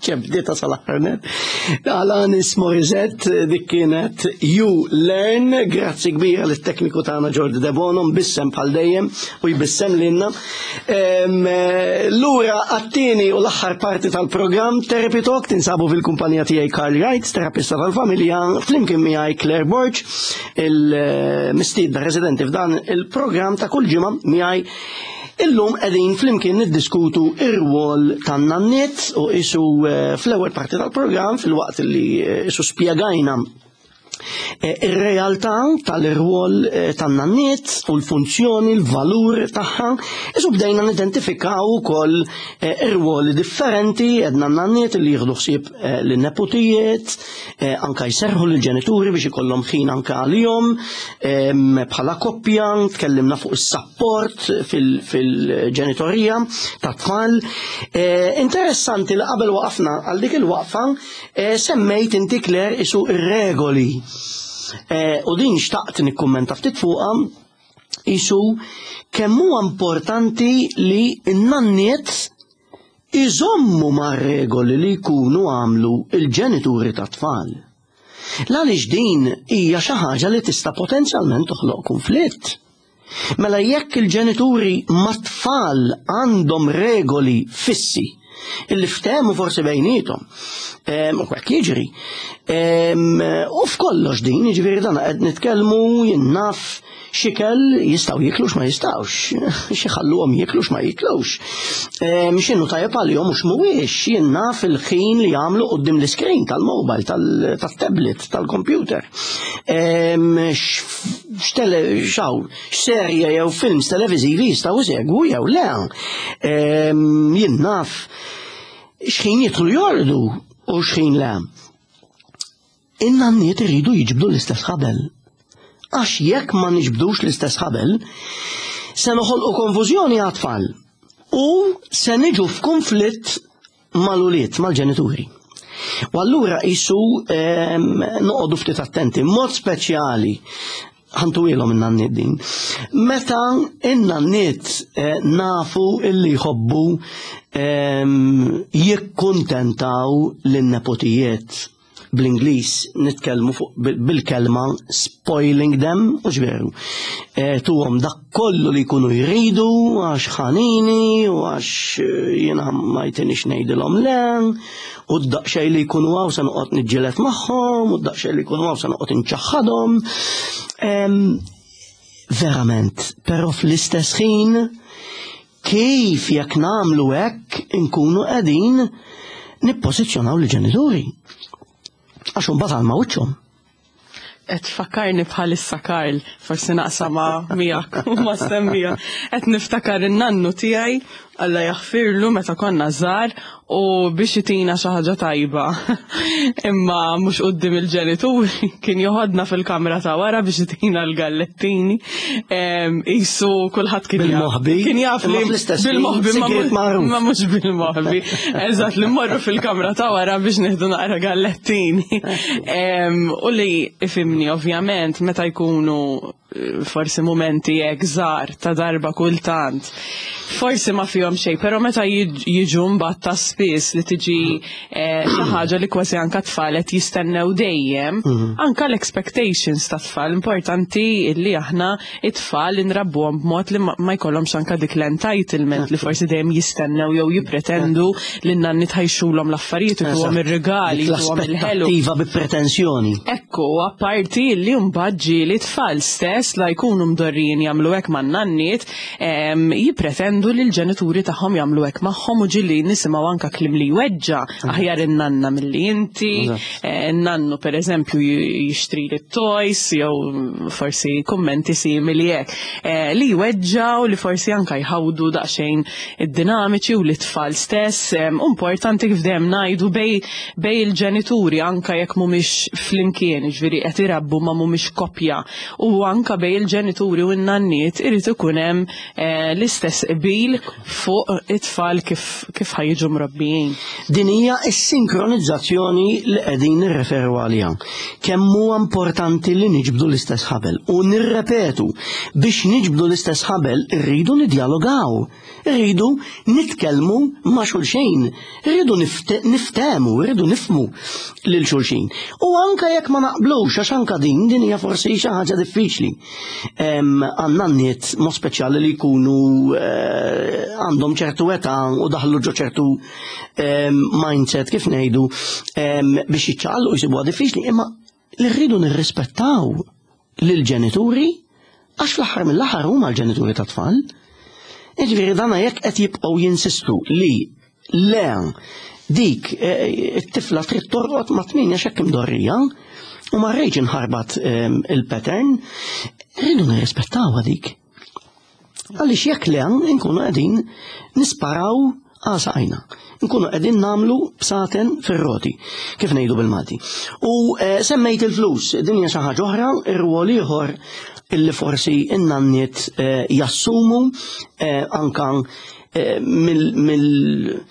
Ċebdieta sal-aħħar net. Alanis Morissette, dik kienet "You Learn". Grazzi kbira lit-tekniku tagħna Jordi Debono, mbissem bħal dejjem u jbissem lilna. Em, eh, Lura għat-tieni u l-aħħar parti tal-programm Therapy Talk, tinsabu fil-kumpanija tiegħi Carl Wright, terapista tal-familja, flimkien miegħi Claire Borg, il-mistiedna residenti f'dan il-programm ta' kull ġimgħa miegħi. Illum qegħdin flimkien niddiskutu ir-rwol tan-nanniet u isu eh, fl-ewwel parti tal-programm, fil-waqt li eh, isu spjegajna eh, ir-realtà tal-irwol eh, tan-nanniet u l-funzjoni, l-valur tagħha, isu bdejna nidentifikaw ukoll eh, ir-rwoli differenti, għedna n-nanniet li jieħdu ħsieb eh, lin-nepotijiet, eh, anka jserħu lill-ġenituri biex ikollhom ħin anka għalihom, em, bħala koppja, tkellimna fuq is-sapport fil- fil-ġenitorija ta' tfal. Eh, Interessanti li qabel waqafna għal dik il-waqfa eh, semmejt inti, Claire, isu ir-regoli. Eh, U din xtaqt nikkummenta ftit fuqha, isu kemm huwa importanti li n-nanniet iżommu ma' regoli li jkunu għamlu il-ġenituri ta' tfal. Għaliex din hija xi ħaġa li tista' potenzjalment toħloq konflitt. Mela jekk il-ġenituri ma' tfal għandhom regoli fissi illi ftehmu forsi bejnietom, em, u hekk jiġri. Em, U f'kollox din, jiġifieri dan qed nitkellmu, jien naf, x'ikel jistgħu jieklu, x'ma jistgħux, x'iħalluhom jieklu, x'ma jiklux. Em, X'inhu tajjeb għalihom u x'mhuwiex, jien naf, il-ħin li jagħmlu quddiem l-iskrin tal-mobile, tal-tablet, tal-computer. Em, X'tele, xaw, x'serje jew films televiżivi jistgħu jsegwu jew le. Em, Jien naf x'ħin jidħlu jorqdu u x'ħin le. In-nanniet iridu jiġbdu l-istess ħabel. Għax jekk ma niġbdux l-istess ħabel, se noħolqu konfużjoni għat-tfal u se niġu f'konflitt mal-ulied, mal-ġenituri. U allura isu em, noqogħdu ftit attenti, mod speċjali ħa ntuhielhom in-nanniet din. Meta in-nanniet eh, nafu illi jħobbu em, jikkuntentaw lin-nepotijiet, bl-Ingliż nitkellmu fuq bil- bil-kelma "spoiling them", u ġveru. E, tuhom dak kollu li jkunu jridu għax ħanini u għax eh, jiena ma jtinix ngħidilhom le, u d-daqxej li jkunu hawn se noqgħod niġġieled magħhom, u d-daqxej li jkunu hawn se noqgħod inċaħħadhom. Em, Verament, però fl-istess ħin kif jekk nagħmlu hekk inkunu qegħdin nippożizzjonaw l-ġenituri. Għax imbagħad għal ma wiċċhom. Qed tfakkarni bħalissa, Karl, forsi naqsama miegħek u ma semmija. Qed niftakar in-nannu tiegħi, Alla jaħfirlu, meta konna żgħar u biex itina xi ħaġa tajba. Imma mhux quddiem il-ġenituri, kien joħodna fil-kamra ta' wara biex itina l-gallettini. Em, Isu kulħadd kien jaf. Bil-moħbi? Kien jaf Imma li fl-istess ħin, bil-moħbi ma sigriet magħruf. ma mhux bil-moħbi. Eżatt, li mmorru fil-kamra ta' wara biex nieħdu naqra gallettini. Em, U li ifimni ovvjament meta jkunu eh, forsi momenti hekk żgħar ta' darba kultant. Forsi ma fihom xejn, però meta jiġ- jiġu mbagħad ta' spiss li tiġi eh, xi ħaġa li kważi anka tfal qed jistennew dejjem, anka l-expectations ta' tfal, importanti illi aħna it-tfal inrabbuhom b'mod li ma ma jkollhomx anka dik l-entitlement li forsi dejjem jistennew jew jippretendu li n-nanni tħajxulhom l-affarijiet, ituhom ir-rigali, ituhom il-ħelu. L-aspettattiva bi pretensjoni. Ekku, apparti li mbagħad ġieli tfal stess la jkunu mdorrijin jagħmlu hekk man-nanniet, em, jippretendu li l-ġenituri tagħhom jagħmlu hekk magħhom u ġieli nisimgħu anka kliem li jweġġa', "Aħjar in-nanna milli inti", Eżatt. eh, "Nannu pereżempju jixtri li toys", jew forsi kummenti simili hekk eh, li jweġġaw, li forsi anka jħawdu daqsxejn id-dinamiċi u li tfal stess. em, Importanti kif dejjem ngħidu bej bej il-ġenituri, anka jekk mhumiex flimkien, ġifieri qed irabbu ma mhumiex koppja u anka anka bejn il-ġenituri u n-nanniet irid ikun hemm eh, l-istess qbil fuq it-tfal kif kif ħa jiġu mrobbijin. Din hija s-sinkronizzazzjoni li qegħdin nirreferu għaliha. Kemm huwa importanti li niġbdu l-istess ħabel u nirrepetu, biex niġbdu l-istess ħabel irridu nidjalogaw, irridu nitkellmu ma' xulxin, irridu niftehmu, irridu nifhmu lil xulxin. U anka jekk ma naqblux, għax anka din din hija forsi xi ħaġa diffiċli. Għandna nanniet mod speċjali li jkunu eh, għandhom ċertu età u daħlu ġo ċertu mindset, kif ngħidu, biex jiċċaqalqu jsibuha diffiċli, imma li rridu nirrispettaw lill-ġenituri, għax fl-aħħar mill-aħħar huma l-ġenituri tat-tfal. Jiġifieri dana jekk qed jibqgħu jinsistu li le, dik eh, it-tifla trid torqod ma' tmienja x'hekk imdorrija u ma rridx inħarbat il-pattern, rridu nirrispettaw dik. Għaliex jekk le, nkunu qegħdin nisparaw għal saqajna. Nkunu qegħdin nagħmlu bsaten fir-roti, kif ngħidu bil-Malti. U eh, semmejt il-flus, din hija xi ħaġa oħra, ir-rwol ieħor illi forsi in-nanniet eh, jassumu anka mill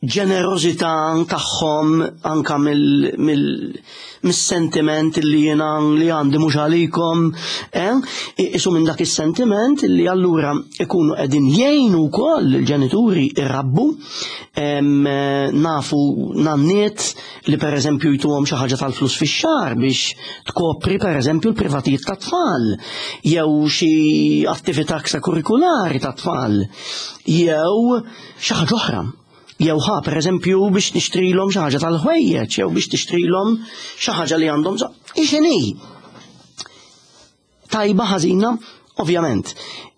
ġenerozità tagħhom, anka mill-sentiment li jiena li għandi mhux għalikom, eh? Isu minn dak is-sentiment li allura ikunu qegħdin jgħinu wkoll il-ġenituri irrabbu. Nafu nanniet li pereżempju jtuhom xi ħaġa tal-flus fix-xahar biex tkopri pereżempju l-privatijiet tat-tfal jew xi attività ekstrakurrikulari tat-tfal jew xi ħaġa oħra. Jew ħa per eżempju biex tixtrilhom xi ħaġa tal-ħwejjeġ, jew biex tixtrilhom xi ħaġa li għandhom bżonn. Ixini. Tajba, ħażina, ovvjament.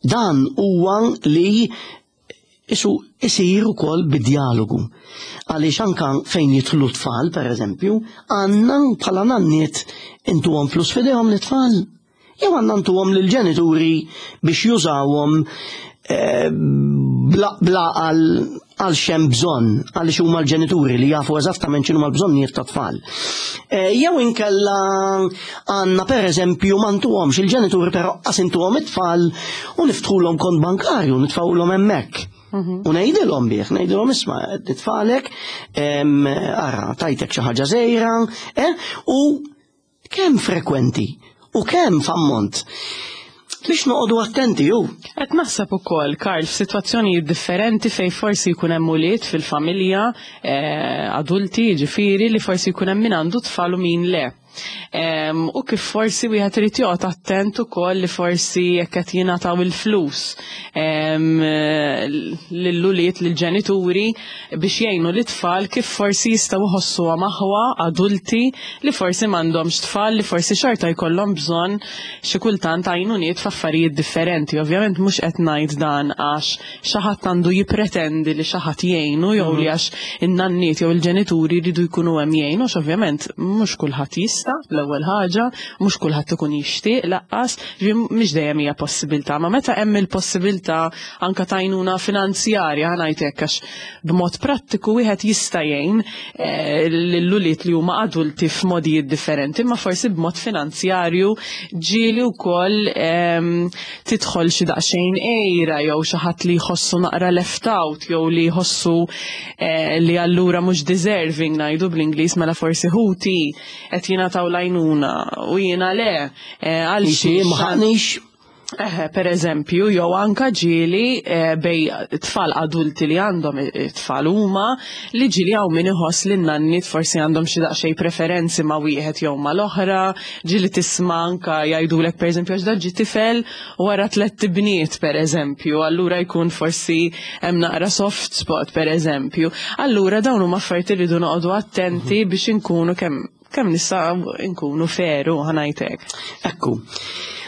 Dan huwa li isu isir ukoll bid-dialogu. Għaliex anka fejn jidħlu tfal, per eżempju, għandna bħala nanniet intuhom flus f'idejhom l-tfal. Jew għandna ntuhom lill-ġenituri biex jużawhom eh, bla bla għal għal x'hemm bżonn, għaliex huma l-ġenituri li jafu eżattament x'inhuma l-bżonnijiet tat-tfal. Eh, jew inkella għandna per eżempju ma ntuhomx il-ġenituri, però qas intuhom it-tfal u niftħulhom kont bankarju, nitfgħulhom hemmhekk. U ngħidilhom bih, ngħidilhom: "Isma', nitfagħlek, ara, tajtek xi ħaġa żgħira", eh, u kemm frekwenti u kemm f'ammont. Biex noqogħdu attenti ju. Qed naħseb ukoll, Karl, f'sitwazzjonijiet differenti fej forsi jkun hemm ulied fil-familja, eh, adulti, ġifieri li forsi jkun hemm min għandu tfal u min le. Em, u kif forsi wieħed irid joqgħod attent ukoll li forsi jekk qed jingħataw il-flus em, lill-ulied, lill-ġenituri biex jgħinu l-itfal, kif forsi jistgħu jħossuha aħwa adulti li forsi m'għandhomx tfal li forsi xorta jkollhom bżonn xi kultant għajnuniet f'affarijiet differenti. Ovvjament mhux qed ngħid dan għax xi ħadd għandu jippretendi li xi ħadd jgħinu jew li għax in-nanniet jew il-ġenituri jridu jkunu hemm jgħinu, għax ovvjament mhux kulħadd jista', l-ewwel ħaġa, mhux kulħadd ikun jixtieq lanqas, ġifieri mhix dejjem hija possibilità, ma meta hemm il-possibilità anka t'għajnuna finanzjarja, ħa ngħid hekk, għax b'mod prattiku wieħed jista' jgħin eh, lill-ulied li huma adulti f'modijiet differenti, ma forsi b'mod finanzjarju ġieli wkoll ehm, tidħol xi daqsxejn għira jew xi ħadd li jħossu naqra left out jew li jħossu eh, li allura mhux deserving, ngħidu bl-Ingliż, mela forsi ħuti qed jingħataw l-għajnuna u jiena le eh, għal Ixi, xiex. Ma ħaqnix. Eħe, per eżempju, jew anka ġieli eh, bejn tfal adulti li għandhom tfal huma, li ġieli hawn min iħoss li n-nanniet forsi għandhom xi daqsxejn preferenzi ma' wieħed jew ma' l-oħra, ġieli tisma' anka jgħidulek, per eżempju, għax dan ġie tifel wara tliet bniet, per eżempju, allura jkun forsi hemm naqra soft spot, per eżempju. Allura dawn huma affarijiet li rridu noqogħdu attenti biex inkunu kemm kemm nistgħu nkunu fair, ħa ngħidlek. Ekku.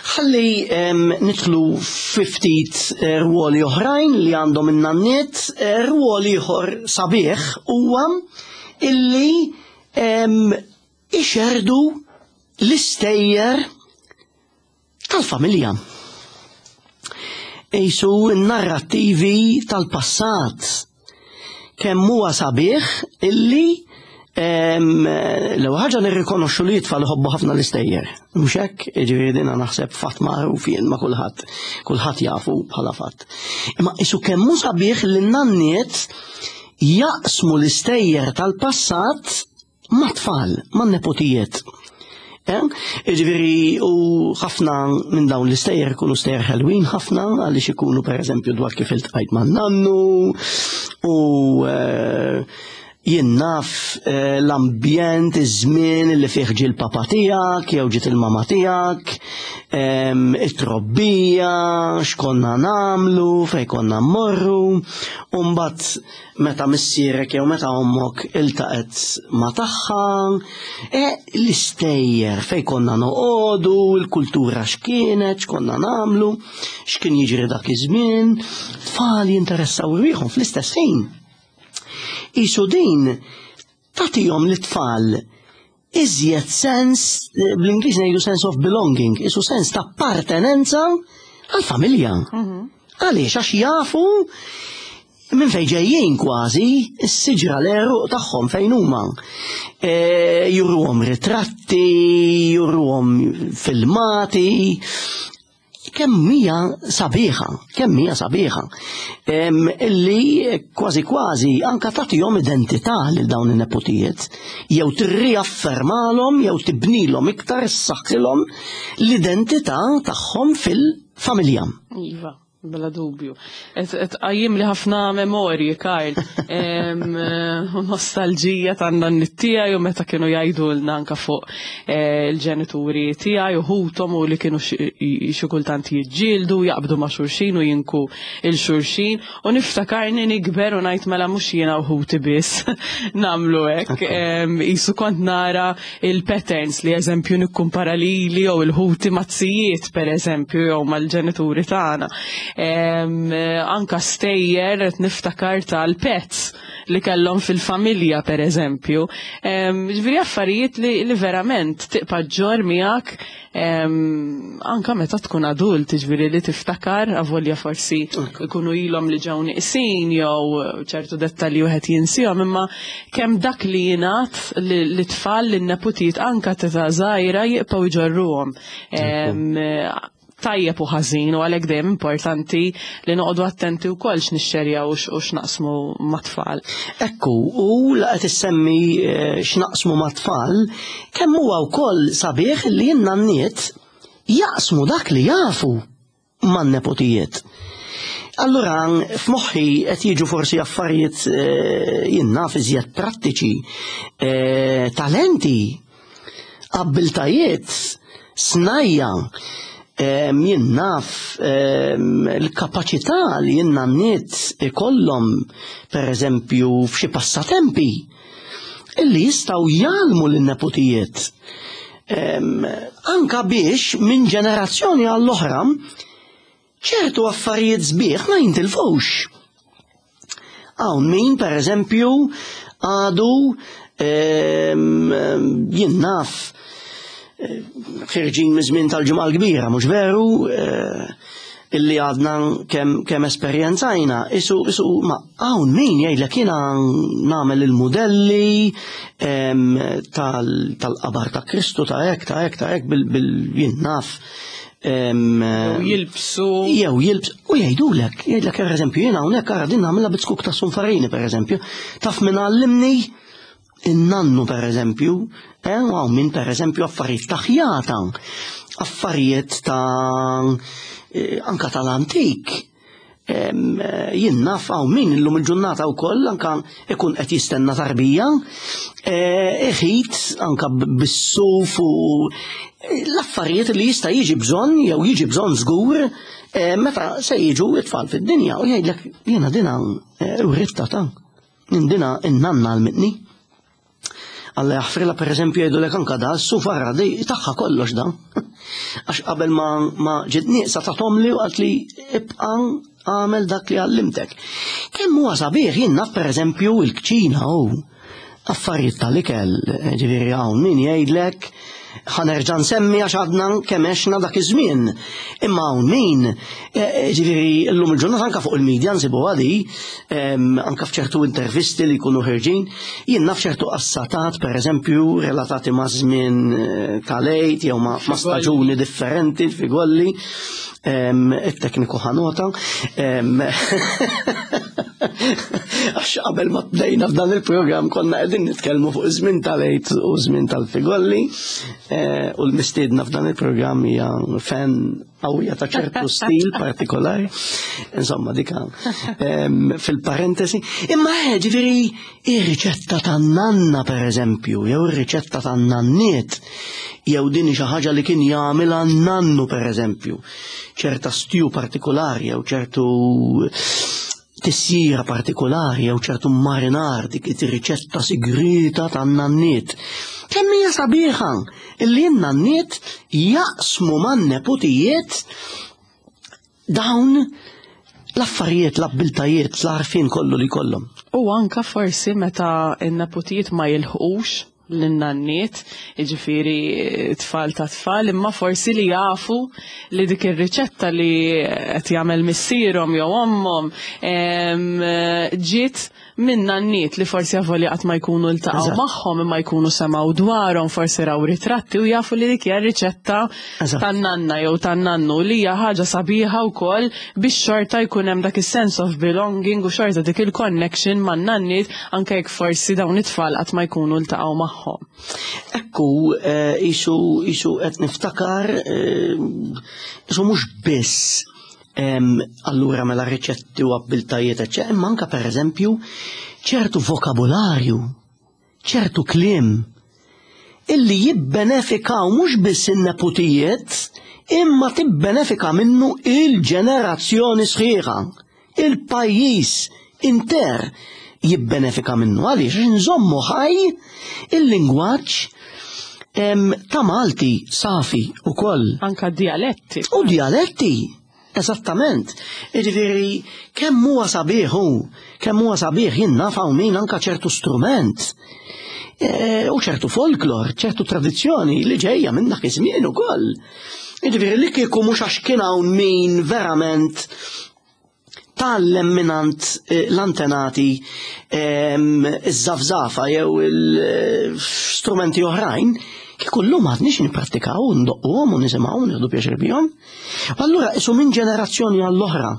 Ħalli em, nidħlu fi ftit eh, rwoli oħrajn li għandhom in-nanniet, eh, rwol ieħor sabiħ huwa illi em, ixerdu l-istejjer tal-familja. Ejsu n-narrattivi tal-passat. Kemm huwa sabiħ illi L-ewwel ħaġa nirrikonoxxu li t-tfal iħobbu ħafna l-istejjer. Mhux hekk, jiġifieri dina naħseb fatt magħruf jien ma' kulħadd, kulħadd jafu bħala fatt. Imma isu kemm hu sabiħ li n-nanniet jaqsmu l-istejjer tal-passat ma' tfal, ma' nepotijiet. Jiġifieri u ħafna minn dawn l-istejjer ikunu stejjer ħelwin ħafna għaliex ikunu pereżempju dwar kif iltqajt ma' nannu u jien naf l-ambjent, iż-żmien li fih ġie l-papa tiegħek jew ġiet il-mama tiegħek, it-trobbija, x'konna nagħmlu, fejn konna mmorru, u mbagħad meta missierek jew meta ommok iltaqet ma' tagħha, e l-istejjer fejn konna noqogħdu, il-kultura x'kienet, x'konna nagħmlu, x'kien jiġri dak iż-żmien, tfal jinteressaw ruħhom fl-istess ħin. Isu din tagħtihom lit-tfal iżjed sens, bl-Ingliż ngħidu sense of belonging, isu sens ta' appartenenza għal-familja. Għaliex, għax jafu minn fejn ġejjin kważi, is-siġra l-għeruq tagħhom fejn huma. Juruhom ritratti, juruhom filmati. Kemm hija sabiħa, kemm hija sabiħa. Illi kważi kważi anka tagħtihom identità lil dawn in-nepotijiet, jew tirriaffermalhom jew tibnilhom iktar issaħħilhom l-identità tagħhom fil-familja. Iva, bla dubju. Tqajjim li ħafna memorji, Karl. Nostalġija tan-nanniet tiegħi u meta kienu jgħidulna anka fuq il-ġenituri tiegħi u ħuthom u li kienu xi kultant jiġġieldu, jaqbdu ma' xulxin u jinku il-xulxin. U niftakarni nikber u ngħid mela mhux jiena u ħuti biss nagħmlu hekk. Isu kont nara il-patterns li eżempju nikkumpara lili jew il-ħuti mazzijiet pereżempju jew mal-ġenituri tagħna. Anka stejjer niftakar tal-pets li kellhom fil-familja per eżempju. Ġifieri affarijiet li, li verament tibqa' ġġorr miegħek anka meta tkun adult, ġifieri li tiftakar avolja forsi ikunu ilhom li ġew nieqsin jew ċertu dettalji wieħed jinsihom, imma kemm dak li jingħad li tfal lin-nepotijiet anka t'età żgħira jibqgħu jġorruhom. Tajjeb u ħażin, u għalhekk dejjem importanti li noqogħdu attenti wkoll x'nixxerjaw u x'naqsmu mat-tfal. Ekku, u la qed issemmi x'naqsmu mat-tfal, kemm huwa wkoll sabiħ li n-nanniet jaqsmu dak li jafu man-nepotijiet. Allura f'moħħi qed jiġu forsi affarijiet jien naf iżjed prattiċi, talenti, abbiltajiet, snajja, jien naf l-kapaċità li n-nanniet ikollhom per eżempju f'xi passatempi illi jistgħu jgħallmu lin-nepotijiet. Anka biex minn ġenerazzjoni għall-oħra ċertu affarijiet sbieħ ma jintilfux. Hawn min per eżempju għadu jien naf ħirġin miż-żmien tal-Ġimgħa l-Kbira, mhux veru, illi għadna kemm kemm esperjenzajna, isu isu ma hawn min jgħidlek jiena nagħmel il-mudelli tal-qabar ta' Kristu ta' hekk ta' hekk ta' hekk bil jien naf. Jew jilbsu. Jew jilbsu u jgħidulek, jgħidlek pereżempju jiena hawnhekk ara din nagħmilha bit-skuk ta' sunfarini pereżempju, taf min għallimni in-nannu per eżempju, eh, u hawn min per eżempju affarijiet ta' ħjata, affarijiet ta' anka tal-antik. Jien naf hawn min illum il-ġurnata wkoll anka ikun qed jistenna tarbija, iħit anka bis-suf u l-affarijiet li jista' jiġi bżonn jew jiġi bżonn żgur meta se jiġu it-tfal fid-dinja u jgħidlek jiena dina writta ta' dina in-nanna għalmitni. Alla jaħfrilha per eżempju jgħidulek anka da s-sufara di tagħha kollox da. Għax qabel ma ma ġiet nieqsa tagħthom li u qalt li ibqa' għamel dak li għallimtek. Kemm huwa sabiħ jien naf per eżempju il-kċina hu. Affarijiet tal-ikel, ġifieri hawn min jgħidlek, ħa nerġa' nsemmi għax għadna kemm għexna dak iż-żmien. Imma hawn min, eh, ġifieri llum il-ġurnata anke fuq il-medja nsibu għadi, anke f'ċertu intervisti li jkunu ħerġin, jien naf ċertu qassatat, pereżempju, relatati ma' żmien eh, tal-Għid jew ma' staġuni differenti, figolli, it-tekniku ħanota. Għax qabel ma bdejna f'dan il-programm konna qegħdin nitkellmu fuq iż-żmien tal-Għid u żmien tal-figolli, eh, u l-mistiedna f'dan il-programm hija fan qawwija ta' ċertu stil partikolari. Insomma, dika fil-parentesi. Imma eh, ġifieri ir-riċetta tan-nanna pereżempju, jew ir-riċetta tan-nanniet, jew din xi ħaġa li kien jagħmilha nannu pereżempju, ċerta stew partikolari jew ċertu tissira partikolari jew ċertu marinar, dik ir-riċetta sigrita tan-nanniet. Kemm hija sabiħa illi n-nanniet jaqsmu man-neputijiet dawn l-affarijiet, l-abbiltajiet, l-għarfien kollu li kollhom. U anka forsi meta n-neputijiet ma jilħqux l-nanniet, jiġifieri tfal ta' tfal, imma forsi li jafu li dik ir-riċetta li qed jagħmel missierhom jew ommhom ġiet minn nanniet li forsi avolja qatt ma jkunu ltaqgħu magħhom imma jkunu semgħu dwarhom, forsi raw ritratti u jafu li dik hija riċetta tan-nanna jew tan-nannu, li hija ħaġa sabiħa wkoll biex xorta jkun hemm dak is-sense of belonging u xorta dik il-connection man-nanniet anke jekk forsi dawn it-tfal qatt ma jkunu ltaqgħu magħhom. Ekku, isu isu qed niftakar, isu mhux biss allura mela riċetti u abbiltajiet, eċċetera, imma anke pereżempju ċertu vokabularju, ċertu kliem illi jibbenefikaw mhux biss in-neputijiet, imma tibbenefika minnu il-ġenerazzjoni sħiħa, il-pajjiż inter jibbenefika minnu. Għaliex nżommu ħaj il-lingwaġġ ta' Malti safi u koll. Anka dialetti. U dialetti, eżattament. Jiġifieri kemm huwa sabiħ hu, kemm huwa sabiħ jien naf hawn min anka ċertu strument e, u ċertu folklor, ċertu tradizzjoni li ġejja minn dak iż-żmien ukoll. Jiġifieri li kieku mhux għax kien hawn min verament tgħallem minant l-antenati iż-żafżafa jew il-strumenti oħrajn, kieku llum għadniex nipprattikaw, ndoqquhom u nisimgħu u nieħdu pjaċir bihom. U allura isu minn ġenerazzjoni għall-oħra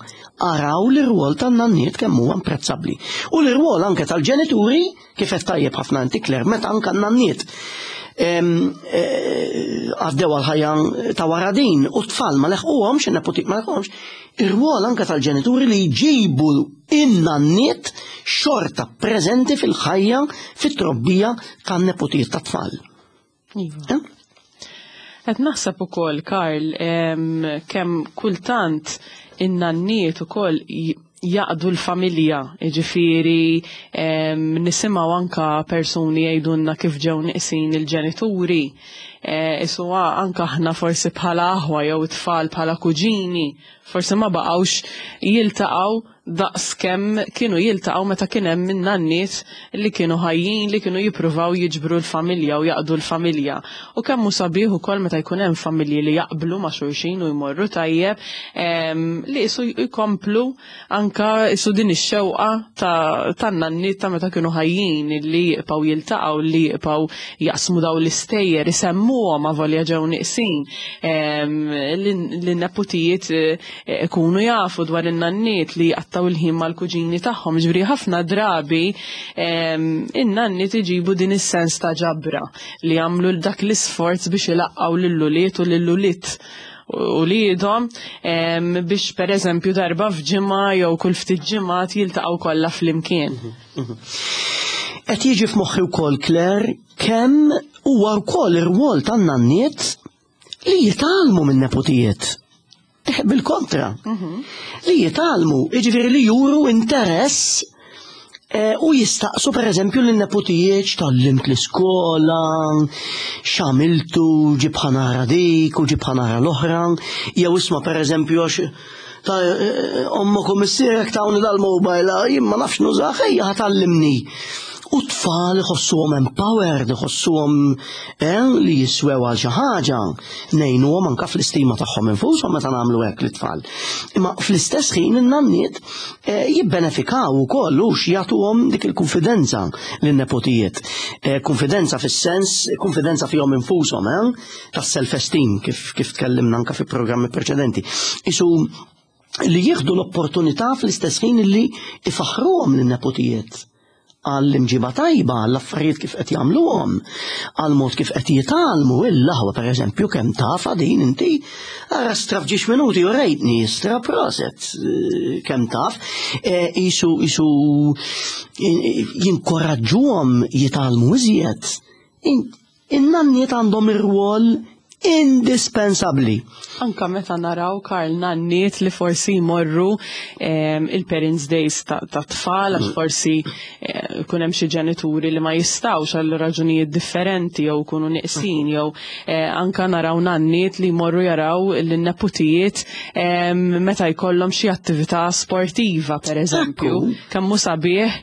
araw l-irwol tan-nanniet kemm huwa imprezzabbli. U l-irwol anke tal-ġenituri, kif qed tajjeb ħafna inti Claire, meta anke n-nanniet għaddew għal-ħajja ta' wara din u t-tfal ma leħquhomx, in-neputi ma leħquhomx, ir-rwol anke tal-ġenituri li jġibu in-nanniet xorta preżenti fil-ħajja, fit-trobbija tan-neputijiet tat-tfal. Iva. Qed naħseb ukoll, Karl, kemm kultant in-nanniet ukoll jaqdu l-familja, jiġifieri nisimgħu anka persuni jgħidulna kif ġew nieqsin il-ġenituri, isu anka aħna forsi bħala aħwa jew tfal bħala kuġini, forsi ma baqgħux jiltaqgħu daqs kemm kienu jiltaqgħu meta kien hemm in-nanniet li kienu ħajjin, li kienu jippruvaw jiġbru l-familja u jaqdu l-familja. U kemm hu sabiħ ukoll meta jkun hemm familji li jaqblu ma' xulxin u jmorru tajjeb, li isu jkomplu anka isu din ix-xewqa tan-nanniet ta' meta kienu ħajjin, li jibqgħu jiltaqgħu, li jibqgħu jaqsmu dawn l-istejjer, isemmuhom avolja ġew nieqsin, li n-neputijiet ikunu jafu dwar in-nanniet li jqattgħu il-ħin mal-kuġini tagħhom. Ġifieri ħafna drabi in-nanniet iġibu din is-sens ta' ġabra li jagħmlu dak l-isforz biex ilaqqgħu lil-ulied u lil-ulied uliedhom biex pereżempju darba f'ġimgħa jew kull ftit ġimgħat jiltaqgħu kollha flimkien. Qed jiġi f'moħħi wkoll, Claire, kemm huwa wkoll ir-rwol tan-nanniet li jitgħallmu min-neputijiet. Bil-kontra, li jitgħallmu, jiġifieri li juru interess u jistaqsu pereżempju lin-neputijiet x'tgħallimt l-iskola, x'għamiltu, ġib ħa nara dik u ġib ħa nara l-oħra, jew isma' pereżempju għax ta' ommok u missierek tawni dal-mobile, jien ma nafx nużah, ejja ħa tgħallimni. U tfal iħossuhom empowered, iħossuhom eh, li jiswew għal xi ħaġa, ngħinuhom anke fl-istima tagħhom infushom meta nagħmlu hekk lit-tfal. Imma fl-istess ħin in-nanniet eh, jibbenefikaw ukoll u jagħtuhom dik il-konfidenza lin-nepotijiet. Eh, konfidenza fis-sens, konfidenza fihom infushom, eh, tas-self-esteem kif kif tkellimna anke fi programmi preċedenti. Isu li jieħdu l-opportunità fl-istess ħin li ifaħruhom lin-nepotijiet għall-imġiba tajba, għall-affarijiet kif qed jagħmluhom, għall-mod kif qed jitgħallmu, il-laħwa pereżempju kemm tafa din inti, ara stra f'ġiex minuti u rejtni stra proset eh, kemm taf, eh, isu isu jinkoraġġuhom jitgħallmu iżjed. In-nanniet għandhom ir-rwol indispensabbli. Anka meta naraw, Karl, nanniet li forsi jmorru il-Parents Days ta' tfal, għax forsi eh, kun hemm xi ġenituri li ma jistgħux għal raġunijiet differenti jew kunu neqsin jew eh, anka naraw nanniet li jmorru jaraw l-neputijiet meta jkollhom xi attività sportiva, per eżempju. Kemm hu sabiħ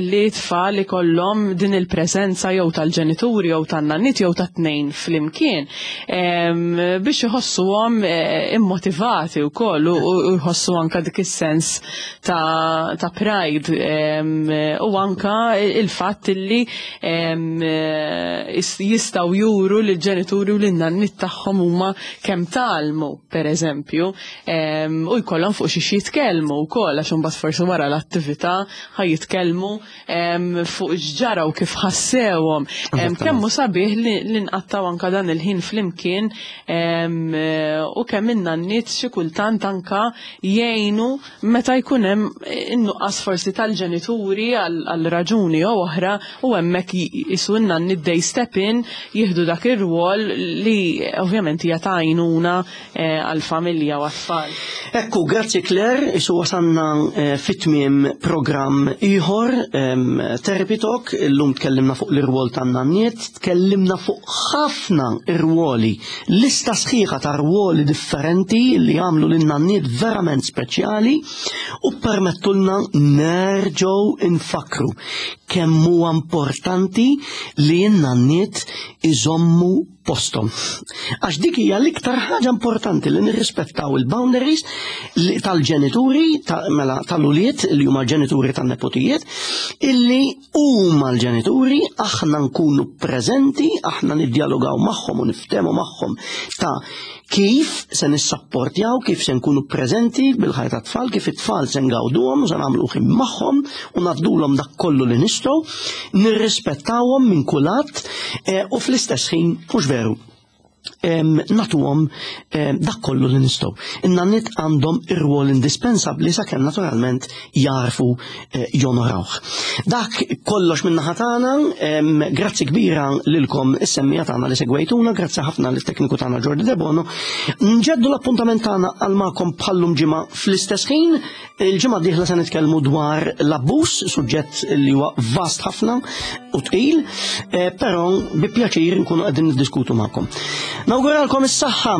li tfal ikollhom din il-preżenza jew tal-ġenituri jew tan-nanniet jew tat-tnejn flimkien biex iħossuhom eh, immotivati wkoll u jħossu anka dik is-sens ta', ta pride u anka il-fatt li jistgħu juru lill-ġenituri u lin-nanniet tagħhom huma kemm tgħallmu, pereżempju, u jkollhom fuq xi jitkellmu wkoll, għax imbagħad forsi wara l-attività ħa jitkellmu fuq x'ġara u kif ħassewhom. Kemm hu sabiħ li nqattaw anka dan il-ħin flimkien u kemm in-nanniet xi kultant anka jgħinu meta jkun hemm in-nuqqas forsi tal-ġenituri għal raġuni jew oħra, u hemmhekk jisu n-nanniet they step in, jieħdu dak ir-rwol li ovvjament hija ta' għajnuna eh, għall-familja u għat-tfal. Ekku, grazzi Claire, isu wasanna eh, fit-tmiem programm ieħor, Therapy Talk. Illum tkellimna fuq l-irwol tan-nanniet, tkellimna fuq ħafna irwoli, lista sħiħa ta' rwoli differenti li jagħmlu lin-nanniet verament speċjali u permettulna nerġgħu infakru kemm huwa importanti li n-nanniet iżommu postom. Għax dik hija l-iktar ħaġa importanti, li nirrispettaw il-boundaries tal-ġenituri, mela tal-ulied li huma l-ġenituri tan-nepotijiet, illi huma l-ġenituri, aħna nkunu preżenti, aħna niddjalogaw magħhom u niftehmu magħhom ta' kif se nissapportjaw, kif se nkunu preżenti bil-ħajja tat-tfal, kif it-tfal se ngawduhom u se nagħmlu ħin magħhom u ngħaddulhom dak kollu li nistgħu, nirrispettawhom minn kullat eh, u fl-istess ħin, mhux veru, nagħtuhom dak kollu li nistgħu. In-nanniet għandhom ir-rwol indispensabbli sakemm naturalment jarfu eh, jonorawh. Dak kollox minn naħa tagħna, grazzi kbira lilkom is-semmiegħa tagħna li segwejtuna, grazzi ħafna lit-tekniku tagħna Jordi Debono. Nġeddu l-appuntament tagħna għal magħkom bħallum ġimgħa fl-istess ħin. Il-ġimgħa dieħla se nitkellmu dwar l-abbuż, suġġett li huwa vast ħafna u tqil, eh, però bi pjaċir nkunu qegħdin niddiskutu magħkom. Nawguralkom is-saħħa.